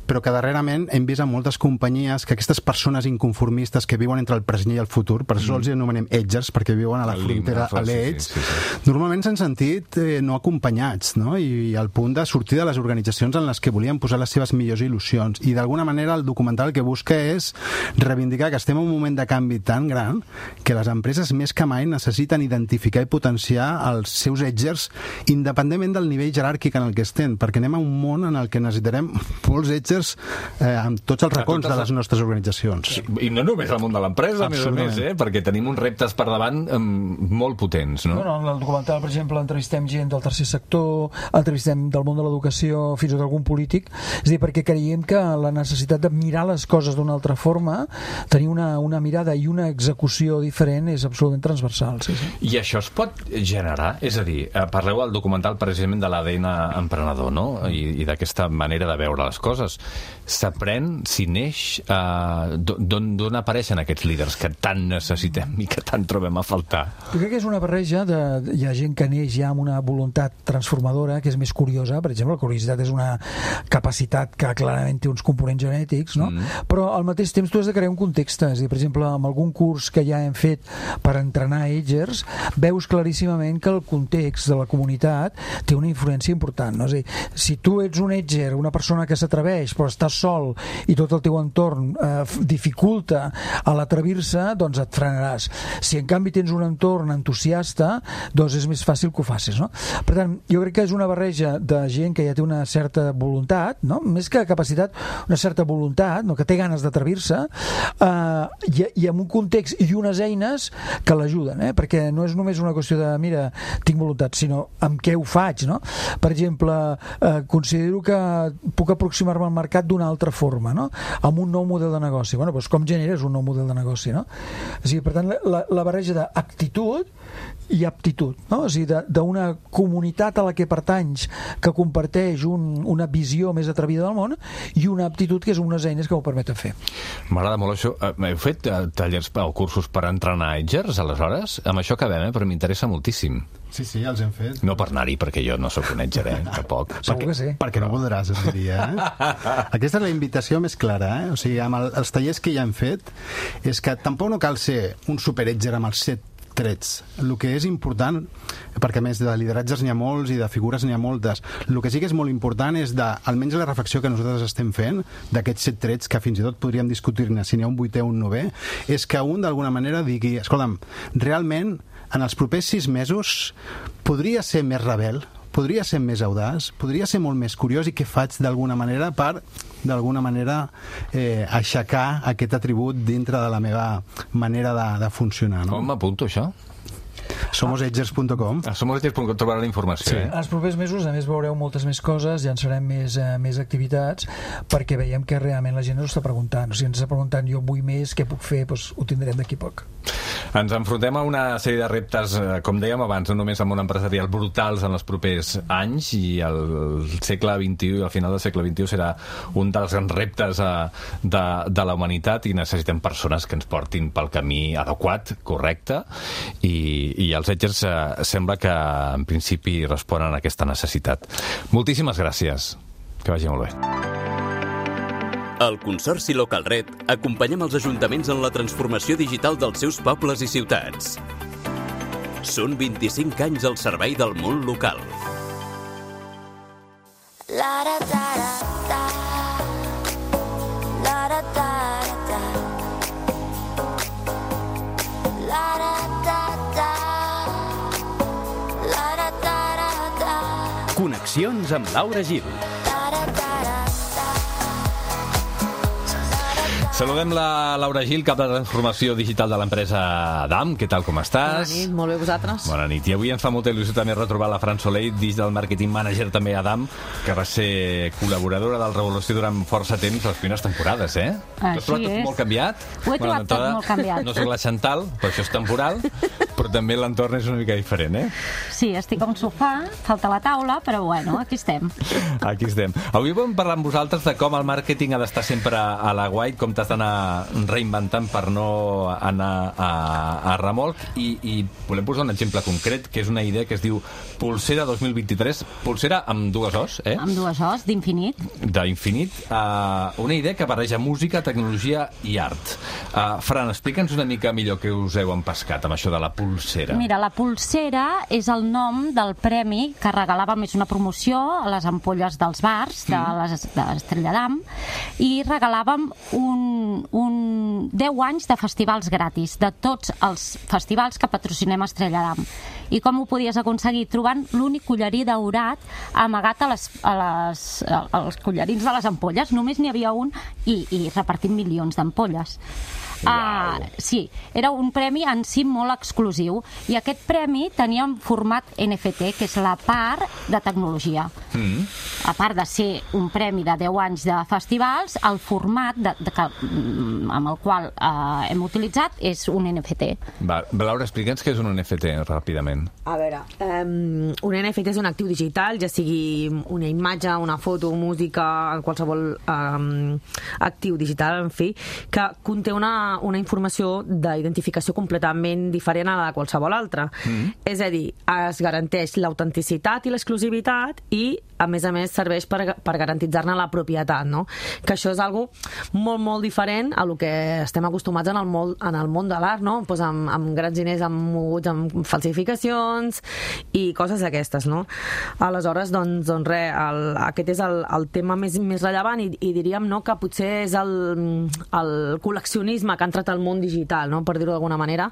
però que darrerament hem vist en moltes companyies que aquestes persones inconformistes que viuen entre el present i el futur, per això mm. els anomenem edgers, perquè viuen a la el frontera a l'edge, sí, sí, sí. normalment s'han sentit eh, no acompanyats, no? I, i al punt de sortir de les organitzacions en les que volien posar les seves millors il·lusions. I d'alguna manera el documental que busca és reivindicar que estem en un moment de canvi tan gran que les empreses més que mai necessiten identificar i potenciar els seus edgers independentment del nivell jeràrquic en el que estem, perquè anem a un món en el que necessitarem molts edgers eh, amb tots els racons de les nostres organitzacions. I no només al món de l'empresa, a més a més, eh? perquè tenim uns reptes per davant eh, molt potents. No? No, no, en el documental, per exemple, entrevistem gent del tercer sector, entrevistem del món de l'educació, fins i tot algun polític, és a dir, perquè creiem que la necessitat de mirar les coses d'una altra forma, tenir una, una mirada i una execució diferent és absolutament transversal. Sí, sí. I això es pot generar? És a dir, parleu al documental precisament de l'A D N emprenedor, no? I, i d'aquesta manera de veure les coses. S'aprèn, si neix, eh, d'on apareixen aquests líders que tant necessitem i que tant trobem a faltar? Jo crec que és una barreja de... Hi ha gent que neix ja amb una voluntat transformadora que és més curiosa. Per exemple, la curiositat és una capacitat que clarament té uns components genètics, no? Mm. Però al mateix temps tu has de crear un context. És a dir, per exemple, amb algun curs que ja hem fet per entrenar edgers, veus claríssimament que el context de la comunitat té una influència important, no? És a dir, si tu ets un edger, una persona que s'atreveix però estàs sol i tot el teu entorn eh, dificulta a l'atrevir-se, doncs et frenaràs. Si en canvi tens un entorn entusiasta, doncs és més fàcil que ho facis, no? Per tant, jo crec que és una barreja de gent que ja té una certa voluntat, no? Més que capacitat, una certa voluntat, no? Que té ganes d'atrevir-se, eh, i, i amb un context i unes eines que l'ajuden, eh? Perquè no és només una qüestió de, mira, tinc voluntat, sinó amb què ho faig, no? Per exemple, eh, considero que puc aproximar-me al mercat d'una altra forma, no? Amb un nou model de negoci. Bueno, doncs com generes un nou model de negoci, no? O sigui, per tant, la, la barreja d'actitud i aptitud, no? O sigui, d'una comunitat a la que pertanys que comparteix un, una visió més atrevida del món i una aptitud que és unes eines que ho permeten fer. M'agrada molt això. Heu fet tallers o cursos per entrenar edgers, aleshores? Amb això acabem, eh? Però m'interessa moltíssim. Sí, sí, els hem fet. No per anar-hi, perquè jo no sóc un edger, eh? Tampoc. Segur que sí. Perquè no voldràs, et diria. Eh? Aquesta és la invitació més clara, eh? O sigui, amb el, els tallers que ja hem fet, és que tampoc no cal ser un super-edger amb els set trets. El que és important, perquè a més de lideratges n'hi ha molts i de figures n'hi ha moltes, el que sí que és molt important és de, almenys la reflexió que nosaltres estem fent d'aquests set trets, que fins i tot podríem discutir-ne si n'hi ha un vuitè o un novè, és que un d'alguna manera digui, escolta'm, realment en els propers sis mesos podria ser més rebel, podria ser més audaç, podria ser molt més curiós, i què faig d'alguna manera per d'alguna manera eh, aixecar aquest atribut dintre de la meva manera de, de funcionar, no? Com m'apunto això? Somosagers punt com. A somosagers punt com trobarà la informació. Sí. Eh? Els propers mesos, a més, veureu moltes més coses, llançarem més, eh, més activitats, perquè veiem que realment la gent ens està preguntant. O sigui, ens està preguntant, jo vull més, què puc fer? Doncs ho tindrem d'aquí poc. Ens enfrontem a una sèrie de reptes, eh, com dèiem abans, no només amb un empresarial brutals en els propers anys, i el segle vint-i-u i al final del segle vint-i-u serà un dels grans reptes eh, de, de la humanitat, i necessitem persones que ens portin pel camí adequat, correcte, i, i els Edgers eh, sembla que en principi responen a aquesta necessitat. Moltíssimes gràcies. Que vagi molt bé. Al Consorci Localred acompanyem els ajuntaments en la transformació digital dels seus pobles i ciutats. Són vint-i-cinc anys al servei del món local. Connexions amb Laura Gil. Saludem la Laura Gil, cap de transformació digital de l'empresa Adam. Què tal, com estàs? Bona nit, molt bé, vosaltres? Bona nit. I avui ens fa molta il·lusió també retrobar la Fran Soleil, Digital Marketing Manager també a Adam, que va ser col·laboradora del Revolució durant força temps, les primeres temporades, eh? Així T'has trobat tot és. molt canviat? Ho he trobat tot molt canviat. No soc la Chantal, però això és temporal, però també l'entorn és una mica diferent, eh? Sí, estic a un sofà, falta la taula, però bueno, aquí estem. Aquí estem. Avui vam parlar amb vosaltres de com el màrqueting ha d'estar sempre a la guai, com t'has d'anar reinventant per no anar a, a remolc, i, i volem posar un exemple concret, que és una idea que es diu Pulsera dos mil vint-i-tres, pulsera amb dues os, eh? Amb dues os, d'infinit. D'infinit. Uh, una idea que barreja música, tecnologia i art. Uh, Fran, explica'ns una mica millor què us heu empescat amb això de la pulsera. Mira, la pulsera és el nom del premi que regalàvem, és una promoció a les ampolles dels bars de les- de l'Estrella d'Am, i regalàvem un, un deu anys de festivals gratis, de tots els festivals que patrocinem a Estrella d'Am. I com ho podies aconseguir? Trobant l'únic collarí daurat amagat a les, a les, als collarins de les ampolles. Només n'hi havia un, i, i repartint milions d'ampolles. Ah, sí, era un premi en si molt exclusiu, i aquest premi tenia un format N F T, que és la part de tecnologia. Mm. A part de ser un premi de deu anys de festivals, el format de, de, que, amb el qual eh, hem utilitzat és un N F T. Va, Laura, explica'ns què és un N F T, ràpidament. A veure, um, un N F T és un actiu digital, ja sigui una imatge, una foto, música, qualsevol um, actiu digital, en fi, que conté una, una informació d'identificació completament diferent a la de qualsevol altra. Mm. És a dir, es garanteix l'autenticitat i l'exclusivitat, i a més a més serveix per, per garantitzar-ne la propietat, no? Que això és algo molt, molt diferent a lo que estem acostumats en el món, en el món de l'art, no? Pues amb, amb grans diners amb moguts, amb falsificacions i coses d'aquestes, no? Aleshores, doncs, doncs res, el, aquest és el, el tema més, més rellevant, i, i diríem, no, que potser és el, el col·leccionisme que ha entrat al món digital, no? Per dir-ho d'alguna manera,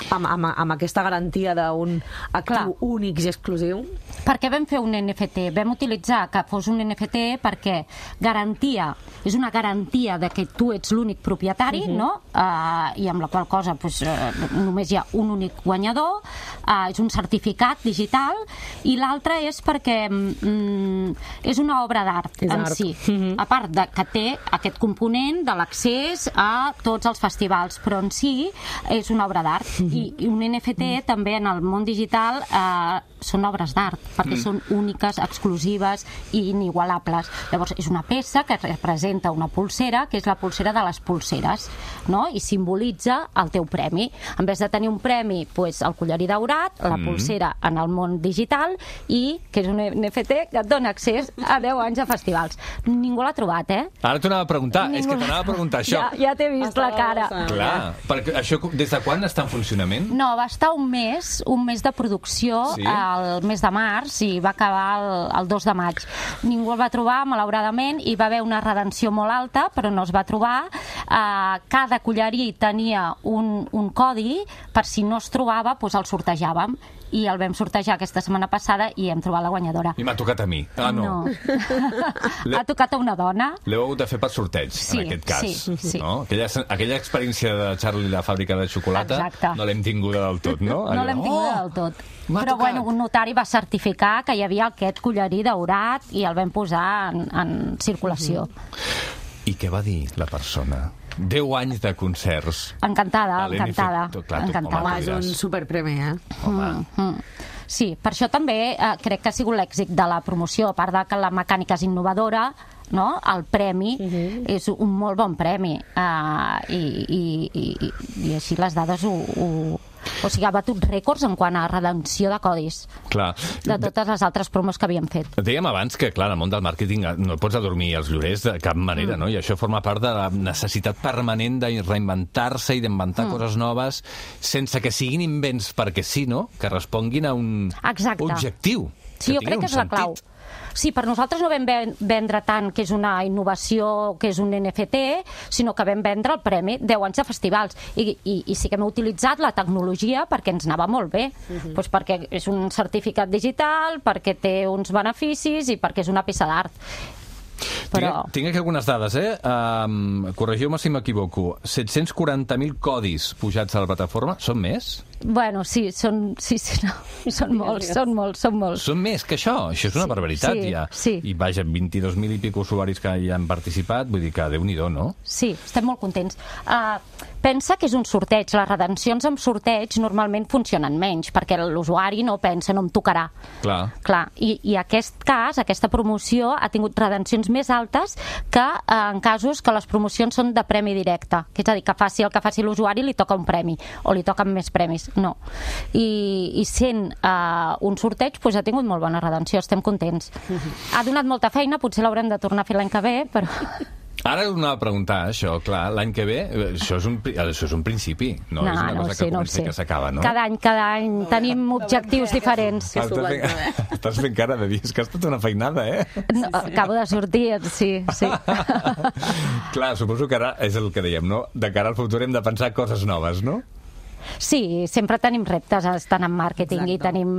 amb, amb, amb aquesta garantia d'un actiu Clar. únic i exclusiu. Per què vam fer un N F T? Vam utilitzar que fos un N F T perquè garantia, és una garantia de que tu ets l'únic propietari, Mhm. no? Uh, i amb la qual cosa pues, uh, només hi ha un únic guanyador, uh, és un certificat digital, i l'altre és perquè mm, és una obra d'art És en art. si, Mhm. a part de que té aquest component de l'accés a tots els festivals, però en si és una obra d'art. I, i un N F T també en el món digital eh, són obres d'art, perquè Mm. són úniques, exclusives i inigualables. Llavors, és una peça que representa una pulsera, que és la pulsera de les pulseres, no? I simbolitza el teu premi. En vez de tenir un premi, pues, el collarí daurat, la Mm. pulsera en el món digital, i que és un N F T que et dona accés a deu anys de festivals. Ningú l'ha trobat, eh? Ara t'ho anava a preguntar, Ningú és que t'anava a preguntar això. Ja, ja t'he vist la cara. Clar, perquè això des de quan està en funcionament? No, va estar un mes, un mes de producció, Sí? el mes de març, i va acabar el, el dos de maig. Ningú el va trobar, malauradament, i va haver una redenció molt alta, però no es va trobar. Uh, cada collarí tenia un, un codi, per si no es trobava, doncs el sortejàvem, i el vam sortejar aquesta setmana passada i hem trobat la guanyadora. I m'ha tocat a mi. Ah, no. Ha tocat a una dona. L'heu hagut de fer per sorteig, Sí, en aquest cas. sí, sí. No? Aquella, aquella l'experiència de Charlie i la fàbrica de xocolata Exacte. no l'hem tinguda del tot, no? No l'hem tinguda del tot. Però bueno, un notari va certificar que hi havia aquest collarí daurat i el vam posar en, en circulació. I què va dir la persona? Deu anys de concerts. Encantada, A l'N F T, encantada. clar, tu, encantada. home, És un superpremi, eh? Mm, mm. Sí, per això també eh, crec que ha sigut l'èxit de la promoció, a part de que la mecànica és innovadora, no? El premi uh-huh. és un molt bon premi uh, i, i, i, i així les dades ho, ho... O sigui, ha batut rècords en quant a redenció de codis Clar. de totes les altres promos que havíem fet. Dèiem abans que, clar, en el món del màrqueting no pots adormir els llorers de cap manera, Mm. no? I això forma part de la necessitat permanent de reinventar-se i d'inventar Mm. coses noves sense que siguin invents perquè sí, no? Que responguin a un Exacte. objectiu. Sí, jo tingui crec que un és la clau. sentit. Sí, per nosaltres no vam ven- vendre tant que és una innovació, que és un N F T, sinó que vam vendre el premi deu anys de festivals. I, i, i sí que hem utilitzat la tecnologia perquè ens anava molt bé. Uh-huh. Pues perquè és un certificat digital, perquè té uns beneficis i perquè és una peça d'art. Però... Tinc, tinc aquí algunes dades, eh? Um, corregiu-me si m'equivoco. set-cents quaranta mil codis pujats a la plataforma. Són més? Bueno, sí, són, sí, sí, no, són molts, són molts, són molts. Són més que això. Això és una barbaritat, sí, ja. sí. I vaja, vint-i-dos mil i pico usuaris que hi han participat, vull dir que Déu-n'hi-do, no? Sí, estem molt contents. Uh, pensa que és un sorteig. Les redencions amb sorteig normalment funcionen menys, perquè l'usuari no pensa, no em tocarà. Clar. Clar, i, i aquest cas, aquesta promoció, ha tingut redencions més altes que eh, en casos que les promocions són de premi directe. Que és a dir, que faci el que faci l'usuari li toca un premi, o li toquen més premis. No. I, i sent eh, un sorteig, doncs ha tingut molt bona redenció, estem contents. Ha donat molta feina, potser l'haurem de tornar a fer l'any que ve, però... Ara us anava a preguntar, això, clar, l'any que ve, això és un, pri- això és un principi, no, No, és una no cosa ho sé, que no ho comença sé. i que s'acaba, no? Cada any, cada any tenim objectius diferents. Ah, estàs, fent, estàs fent cara de dir, és que ha estat una feinada, eh? No, acabo de sortir, sí, sí. Clar, suposo que ara és el que dèiem, no? De cara al futur hem de pensar coses noves, no? Sí, sempre tenim reptes estant en màrqueting. Exacte. i tenim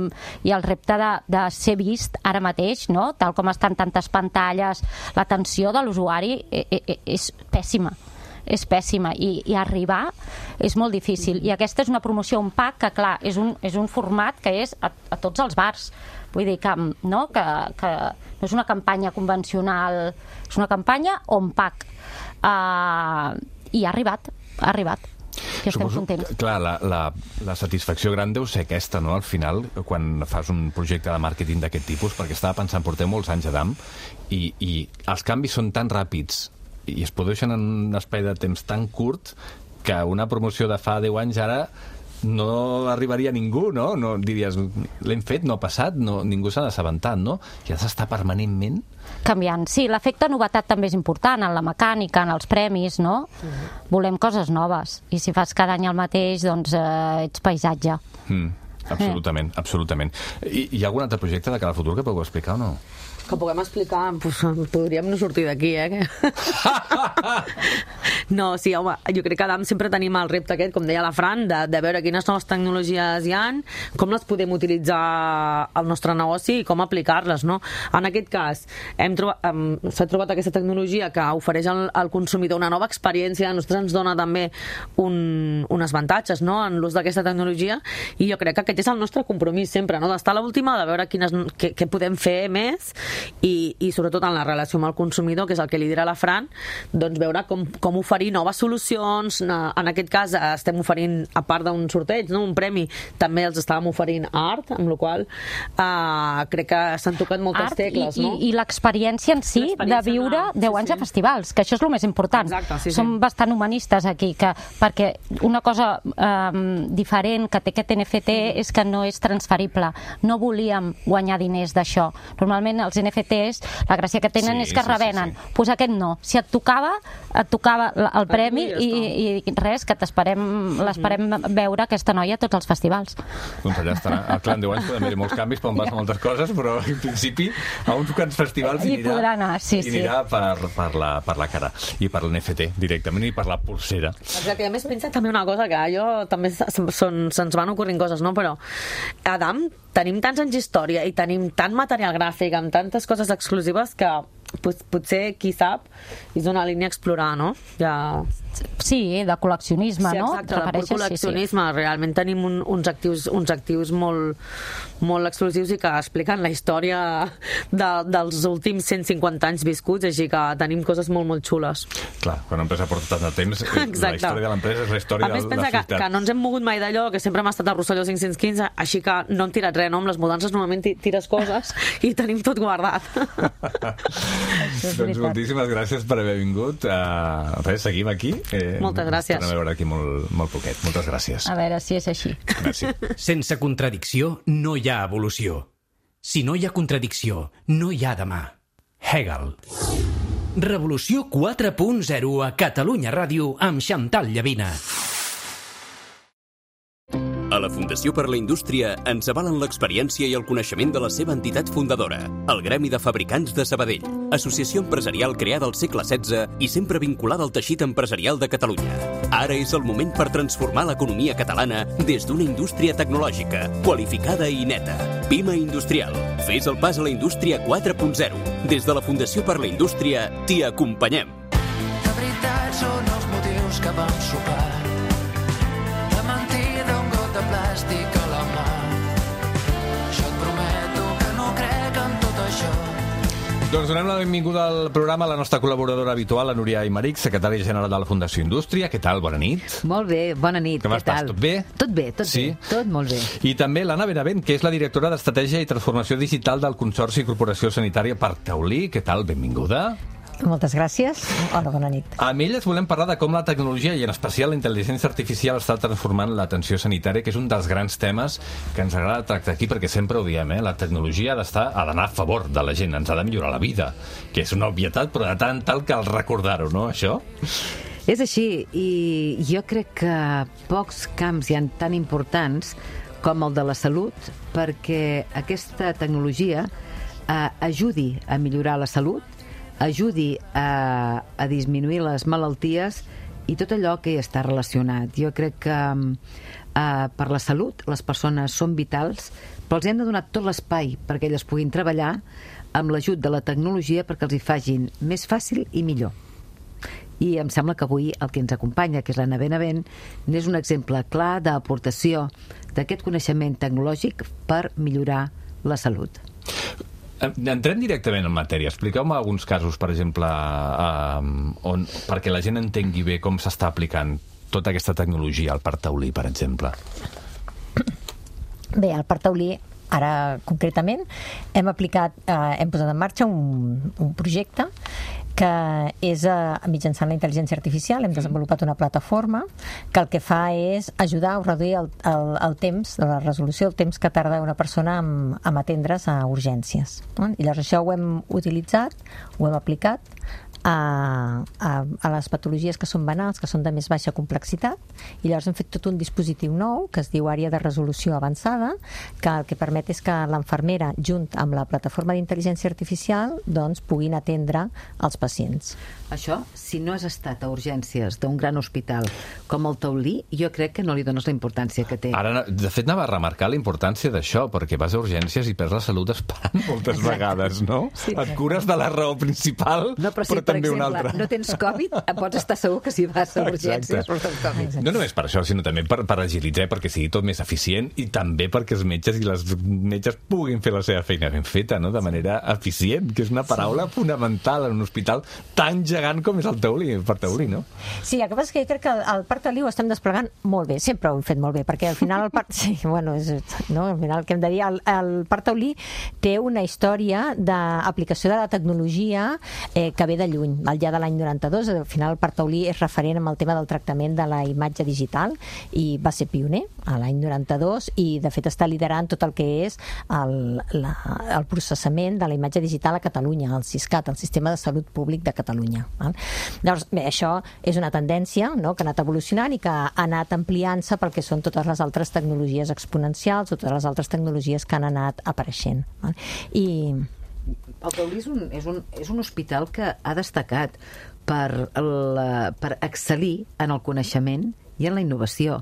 i el repte de, de ser vist ara mateix, no? Tal com estan tantes pantalles, l'atenció de l'usuari eh, eh, és pèssima és pèssima i, i arribar és molt difícil, i aquesta és una promoció un pack que clar, és un, és un format que és a, a tots els bars, vull dir que, no? Que, que no és una campanya convencional, és una campanya on pack uh, i ha arribat, ha arribat que estem Suposo, contents. clar, la, la, la satisfacció gran deu ser aquesta, no?, al final, quan fas un projecte de màrqueting d'aquest tipus, perquè estava pensant, porteu molts anys a Adam, i, i els canvis són tan ràpids i es produeixen en un espai de temps tan curt que una promoció de fa deu anys ara no arribaria a ningú, no? No diries, l'hem fet, no ha passat, no, ningú s'ha assabentat, no? I has d'estar permanentment canviant. Sí, l'efecte novetat també és important en la mecànica, en els premis, no? Uh-huh. Volem coses noves. I si fas cada any el mateix, doncs eh, ets paisatge. Mm, absolutament, eh. absolutament. I hi ha algun altre projecte de cara al futur que podeu explicar o no? Que puguem explicar, pues, podríem no sortir d'aquí, eh? No, sí, home, jo crec que Adam sempre tenim el repte aquest, com deia la Fran, de, de veure quines noves tecnologies hi han, com les podem utilitzar al nostre negoci i com aplicar-les, no? En aquest cas, hem trobat, um, s'ha trobat aquesta tecnologia que ofereix al, al consumidor una nova experiència, a nosaltres ens dona també un, uns avantatges, no?, en l'ús d'aquesta tecnologia, i jo crec que aquest és el nostre compromís sempre, no?, d'estar a l'última, de veure quines, què, què podem fer més, i, i sobretot en la relació amb el consumidor, que és el que lidera la Fran, doncs veure com, com oferir noves solucions. En aquest cas estem oferint, a part d'un sorteig, no?, un premi, també els estàvem oferint art, amb la qual cosa uh, crec que s'han tocat moltes art tecles, i, no? I, i l'experiència en si de viure de... deu sí, anys sí. a festivals, que això és el més important. Exacte, sí, sí. Som bastant humanistes aquí, que, perquè una cosa um, diferent que té aquest N F T mm. és que no és transferible. No volíem guanyar diners d'això. Normalment els N F Ts, la gràcia que tenen Sí, és que sí, revenen. sí, sí. Pues aquest no. Si et tocava, et tocava el premi ja i, i res, que t'esperem, l'esperem veure aquesta noia a tots els festivals. Doncs allà estarà. Al Clan deu anys podem haver molts canvis, poden passar moltes coses, però en principi a uns quants festivals hi Hi podrà anar, sí, hi sí. anirà per, per, la, per la cara i per l'N F T directament i per la pulsera. Exacte, i a més pensa també una cosa, que jo també se'ns van ocorrint coses, no? Però Adam, tenim tants anys d'història i tenim tant material gràfic amb tantes coses exclusives que pot, potser, qui sap, és una línia a explorar, no? Ja... Sí, de col·leccionisme, sí, no? Exacte, de col·leccionisme. Sí, sí. Realment tenim un, uns actius, uns actius molt, molt exclusius i que expliquen la història de, dels últims cent cinquanta anys viscuts, així que tenim coses molt, molt xules. Clar, quan l'empresa porta tant de temps, Exacte. La història de l'empresa és la història de la ciutat. A més, pensa que, que no ens hem mogut mai d'allò, que sempre hem estat a Rosselló cinc-cents quinze, així que no hem tirat res, no? Amb les mudances normalment tires coses i tenim tot guardat. Doncs moltíssimes gràcies per haver vingut. Uh, res, seguim aquí. Eh, Moltes gràcies. Tornem a veure aquí molt, molt poquet. Moltes gràcies. A veure si és així. Gràcies. Sense contradicció no hi ha evolució. Si no hi ha contradicció, no hi ha demà. Hegel. Revolució quatre punt zero a Catalunya Ràdio amb Xantal Llavina. A la Fundació per la Indústria ens avalen l'experiència i el coneixement de la seva entitat fundadora, el Gremi de Fabricants de Sabadell, associació empresarial creada al segle setze i sempre vinculada al teixit empresarial de Catalunya. Ara és el moment per transformar l'economia catalana des d'una indústria tecnològica, qualificada i neta. Pima Industrial. Fes el pas a la indústria quatre punt zero. Des de la Fundació per la Indústria t'hi acompanyem. De veritat són els motius que vam sopar. De mentida un got de plàstic a la mà. Jo et prometo que no crec en tot això. Doncs donem la benvinguda al programa a la nostra col·laboradora habitual, la Núria Aymeric, secretària general de la Fundació Indústria. Què tal? Bona nit. Molt bé, bona nit. Com Què estàs? tal? Tot bé? Tot bé, tot Sí? bé. Tot molt bé. I també l'Anna Benavent, que és la directora d'Estratègia i Transformació Digital del Consorci Corporació Sanitària Parc Taulí. Què tal? Benvinguda. Moltes gràcies. Hola, bona nit. Amb elles volem parlar de com la tecnologia i en especial la intel·ligència artificial està transformant l'atenció sanitària, que és un dels grans temes que ens agrada tractar aquí, perquè sempre ho diem, eh? La tecnologia ha d'estar, ha d'anar a favor de la gent, ens ha de millorar la vida, que és una obvietat, però de tant tal cal recordar-ho, no, això? És així, i jo crec que pocs camps hi ha tan importants com el de la salut, perquè aquesta tecnologia eh, ajudi a millorar la salut, ajudi a, a disminuir les malalties i tot allò que hi està relacionat. Jo crec que eh, per la salut les persones són vitals, però els hem de donar tot l'espai perquè elles puguin treballar amb l'ajut de la tecnologia perquè els hi facin més fàcil i millor. I em sembla que avui el que ens acompanya, que és l'Anna Benavent, n'és un exemple clar d'aportació d'aquest coneixement tecnològic per millorar la salut. Entrem directament en matèria. Expliqueu-me alguns casos, per exemple, eh, on, perquè la gent entengui bé com s'està aplicant tota aquesta tecnologia al Parc Taulí, per exemple. Bé, al Parc Taulí, ara concretament, hem aplicat, eh, hem posat en marxa un, un projecte que és eh, mitjançant la intel·ligència artificial. Hem desenvolupat una plataforma que el que fa és ajudar a reduir el, el, el temps, la resolució del temps que tarda una persona en, en atendre's a urgències. No? I llavors això ho hem utilitzat, ho hem aplicat a, a, a les patologies que són banals, que són de més baixa complexitat, i llavors hem fet tot un dispositiu nou que es diu àrea de resolució avançada, que el que permet és que l'enfermera, junt amb la plataforma d'intel·ligència artificial, doncs puguin atendre els pacients. Això, si no has estat a urgències d'un gran hospital com el Taulí, jo crec que no li dones la importància que té. Ara, de fet, anava a remarcar la importància d'això, perquè vas a urgències i perds la salut esperant moltes Exacte. vegades, no? Sí. Et cures de la raó principal, no, però, si, però per també exemple, una altra. No tens Covid, pots estar segur que si vas a urgències Exacte. portes Covid. No només per això, sinó també per, per agilitzar, perquè sigui tot més eficient, i també perquè els metges i les metges puguin fer la seva feina ben feta, no? De manera eficient, que és una paraula sí. fonamental en un hospital tan gegant com és el Taulí, el Parc Taulí, no? Sí, el que passa és que jo crec que el, el Parc Taulí ho estem desplegant molt bé, sempre ho hem fet molt bé, perquè al final el Parc... Sí, bueno, és, no, al final el que hem de dir, el, el Parc Taulí té una història d'aplicació de la tecnologia eh, que ve de lluny. Al llarg de l'any noranta-dos, al final el Parc Taulí és referent amb el tema del tractament de la imatge digital i va ser pioner a l'any noranta-dos i de fet està liderant tot el que és el, la, el processament de la imatge digital a Catalunya, el SISCAT, el Sistema de Salut Públic de Catalunya. Val? Llavors, bé, això és una tendència, no?, que ha anat evolucionant i que ha anat ampliant-se pel que són totes les altres tecnologies exponencials, totes les altres tecnologies que han anat apareixent. Val? I... El Taulí és un, és, un, és un hospital que ha destacat per, la, per excel·lir en el coneixement i en la innovació.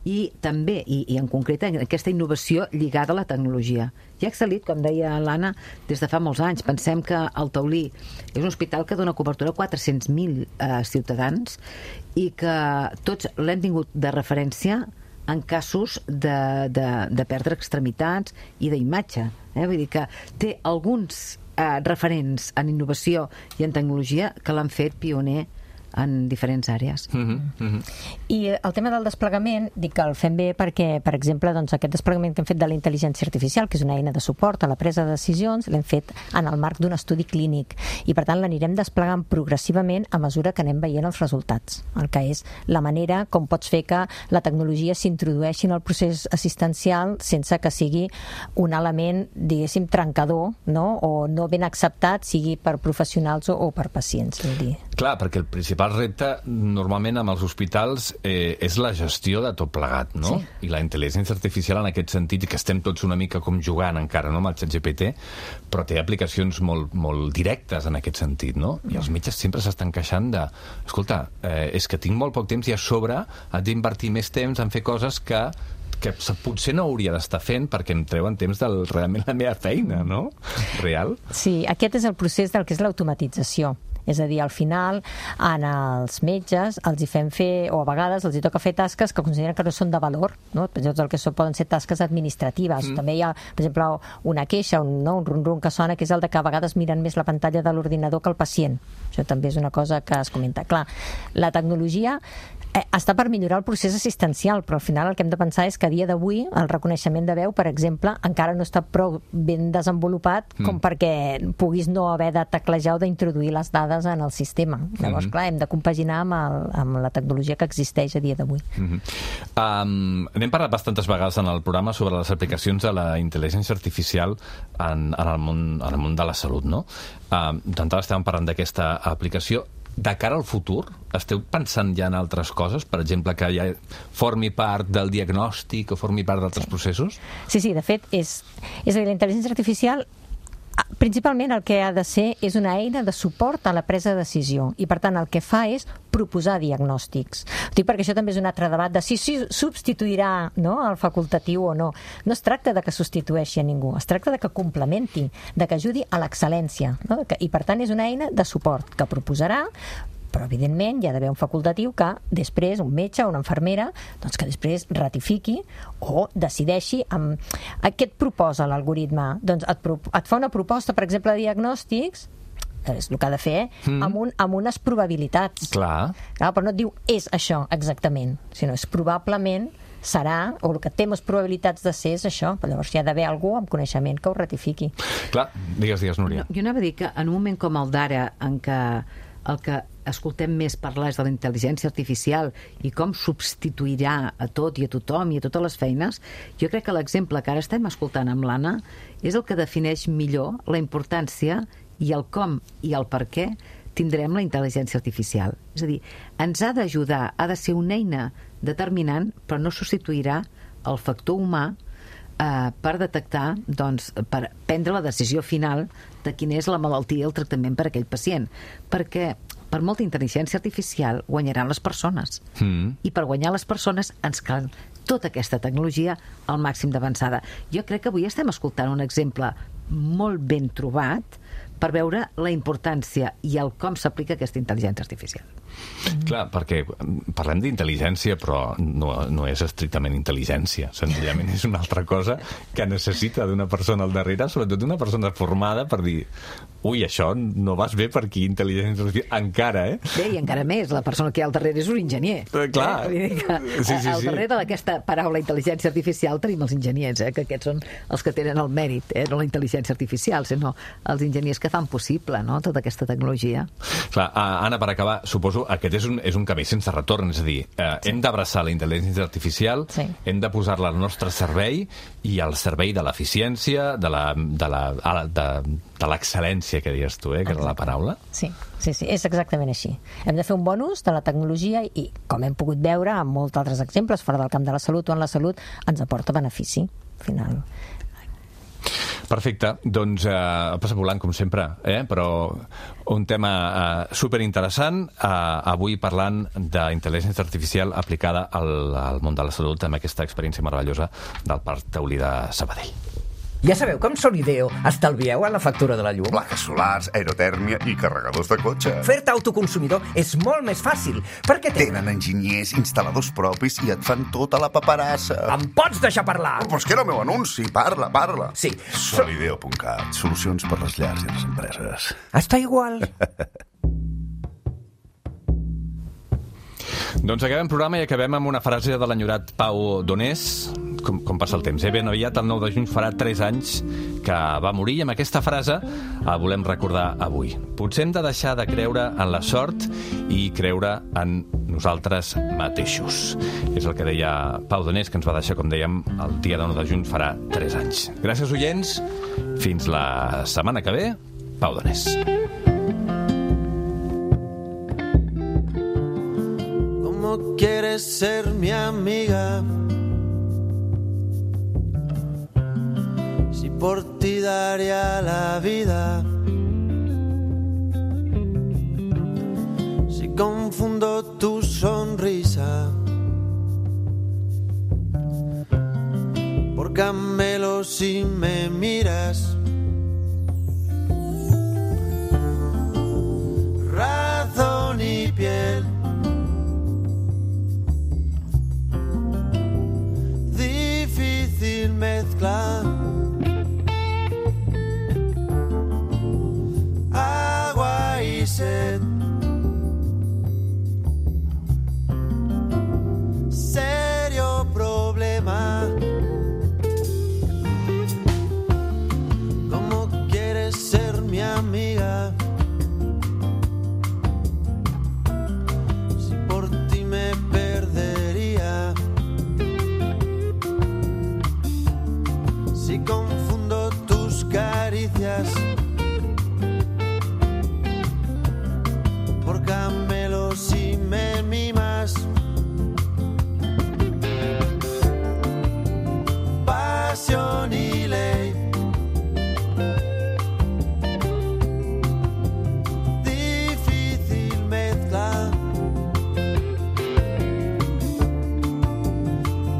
i també, i, i en concret, aquesta innovació lligada a la tecnologia. Ja ha excel·lit, com deia l'Anna, des de fa molts anys. Pensem que el Taulí és un hospital que dona cobertura a quatre-cents mil eh, ciutadans i que tots l'hem tingut de referència en casos de, de, de perdre extremitats i d'imatge. Eh? Vull dir que té alguns eh, referents en innovació i en tecnologia que l'han fet pioner en diferents àrees. Mm-hmm, mm-hmm. I el tema del desplegament, dic que el fem bé perquè, per exemple, doncs, aquest desplegament que hem fet de la intel·ligència artificial, que és una eina de suport a la presa de decisions, l'hem fet en el marc d'un estudi clínic i, per tant, l'anirem desplegant progressivament a mesura que anem veient els resultats. El que és la manera com pots fer que la tecnologia s'introdueixi en el procés assistencial sense que sigui un element, diguéssim, trencador, no? O no ben acceptat, sigui per professionals o, o per pacients. Vull dir. Clar, perquè el principal El repte, normalment, amb els hospitals eh, és la gestió de tot plegat, no? Sí. I la intel·ligència artificial, en aquest sentit, que estem tots una mica com jugant encara, no?, amb el ChatGPT, però té aplicacions molt, molt directes en aquest sentit, no? I els metges sempre s'estan queixant de escolta, eh, és que tinc molt poc temps i a sobre haig d'invertir més temps en fer coses que que potser no hauria d'estar fent perquè em treuen temps del realment la meva feina, no? Real. Sí, aquest és el procés del que és l'automatització. És a dir, al final, en els metges els hi fem fer, o a vegades els hi toca fer tasques que consideren que no són de valor, no? El que són, poden ser tasques administratives. Mm. També hi ha, per exemple, una queixa, un, no? un rum-rum que sona, que és el de que a vegades miren més la pantalla de l'ordinador que el pacient. Això també és una cosa que es comenta. Clar, la tecnologia eh, està per millorar el procés assistencial, però al final el que hem de pensar és que a dia d'avui el reconeixement de veu, per exemple, encara no està prou ben desenvolupat com mm. perquè puguis no haver de teclejar o d'introduir les dades en el sistema. Llavors, mm-hmm. clar, hem de compaginar amb, el, amb la tecnologia que existeix a dia d'avui. Mm-hmm. um, N'hem parlat bastantes vegades en el programa sobre les aplicacions de la intel·ligència artificial en, en, el, món, en el món de la salut, no? Um, D'entrada estàvem parlant d'aquesta aplicació. De cara al futur, esteu pensant ja en altres coses? Per exemple, que ja formi part del diagnòstic o formi part d'altres sí. processos? Sí, sí, de fet, és, és a dir, la intel·ligència artificial principalment el que ha de ser és una eina de suport a la presa de decisió i, per tant, el que fa és proposar diagnòstics. Dic perquè això també és un altre debat de si, si substituirà, no, el facultatiu o no. No es tracta de que substitueixi a ningú, es tracta de que complementi, de que ajudi a l'excel·lència, no? I, per tant, és una eina de suport que proposarà, però evidentment hi ha d'haver un facultatiu que després, un metge o una infermera, doncs que després ratifiqui o decideixi amb... què et proposa l'algoritme? Doncs et, pro... et fa una proposta, per exemple, de diagnòstics, és el que ha de fer, mm. amb, un, amb unes probabilitats. Clar. Clar. Però no et diu és això exactament, sinó és probablement serà, o el que té més probabilitats de ser és això, però llavors hi ha d'haver algú amb coneixement que ho ratifiqui. Clar, digues, digues, Núria. No, jo anava a dir que en un moment com el d'ara, en què el que escoltem més parlar és de la intel·ligència artificial i com substituirà a tot i a tothom i a totes les feines, jo crec que l'exemple que ara estem escoltant amb l'Anna és el que defineix millor la importància i el com i el per què tindrem la intel·ligència artificial. És a dir, ens ha d'ajudar, ha de ser una eina determinant, però no substituirà el factor humà eh, per detectar, doncs, per prendre la decisió final de quina és la malaltia i el tractament per a aquell pacient. Perquè per molta intel·ligència artificial guanyaran les persones. Mm. I per guanyar les persones ens cal tota aquesta tecnologia al màxim d'avançada. Jo crec que avui estem escoltant un exemple molt ben trobat per veure la importància i el com s'aplica aquesta intel·ligència artificial. Clar, perquè parlem d'intel·ligència, però no, no és estrictament intel·ligència. Senzillament és una altra cosa que necessita d'una persona al darrere, sobretot d'una persona formada per dir ui, això no vas bé per aquí, intel·ligència artificial, encara, eh? Bé, i encara més, la persona que hi ha al darrere és un enginyer. Eh, clar. Eh? Que, sí, sí, al darrere sí. d'aquesta paraula intel·ligència artificial tenim els enginyers, eh? Que aquests són els que tenen el mèrit, eh? No la intel·ligència artificial, sinó els enginyers que fan possible, no?, tota aquesta tecnologia. Clar, Anna, per acabar, suposo aquest és un, és un camí sense retorn, és a dir, eh, sí. hem d'abraçar la intel·ligència artificial, sí. hem de posar-la al nostre servei i al servei de l'eficiència, de la, de la, de, de l'excel·lència que dius tu, eh, que era la paraula. Sí, sí, sí, és exactament així. Hem de fer un bon ús de la tecnologia i, com hem pogut veure amb molts altres exemples, fora del camp de la salut o en la salut, ens aporta benefici, al final. Perfecte, doncs eh, passa volant com sempre, eh? Però un tema eh, superinteressant, eh, avui parlant d'intel·ligència artificial aplicada al, al món de la salut amb aquesta experiència meravellosa del Parc Taulí de Sabadell. Ja sabeu que amb Solideo estalvieu en la factura de la llum? Plaques solars, aerotèrmia i carregadors de cotxe. Fer-te autoconsumidor és molt més fàcil, perquè té... Tenen enginyers, instal·ladors propis i et fan tota la paperassa. Em pots deixar parlar? Oh, però és que era el meu anunci, parla, parla. Sí. Solideo punt cat, solucions per les llars i les empreses. Està igual. Doncs acabem programa i acabem amb una frase de l'enyorat Pau Donés. Com, com passa el temps, eh? Ben aviat, el nou de juny, farà tres anys que va morir i amb aquesta frase la volem recordar avui. Potser hem de deixar de creure en la sort i creure en nosaltres mateixos. És el que deia Pau Donés, que ens va deixar, com dèiem, el dia nou de juny farà tres anys. Gràcies, oients. Fins la setmana que ve. Pau Donés. ¿Cómo quieres ser mi amiga? Si por ti daría la vida. Si confundo tu sonrisa por camelo si me miras. Razón y piel. Difícil mezcla. Agua y sed. Serio problema. ¿Cómo quieres ser mi amiga? Si por ti me perdería. Si confundo tus caricias por camelos y me mimas. Pasión y ley. Difícil mezcla.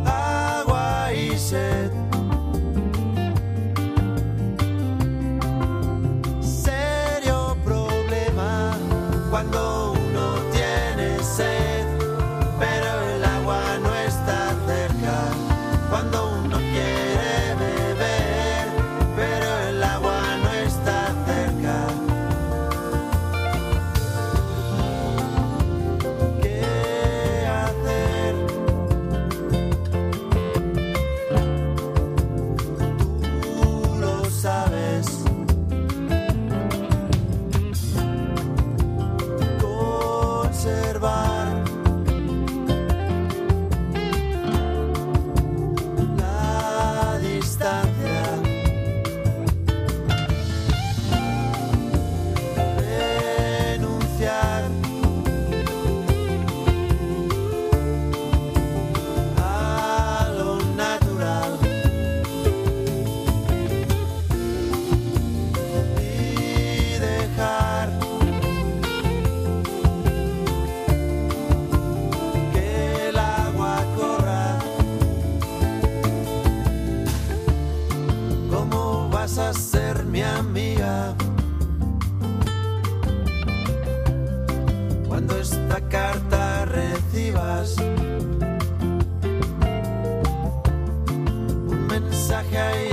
Agua y sed. Serio problema cuando uno tiene sed, pero el agua no está cerca. Cuando uno quiere beber, pero el agua no está cerca. ¿Qué hacer? Tú lo sabes. Conservar la distancia, renunciar a lo natural y dejar que el agua corra. ¿Cómo vas a ser mi amiga cuando esta carta recibas un mensaje ahí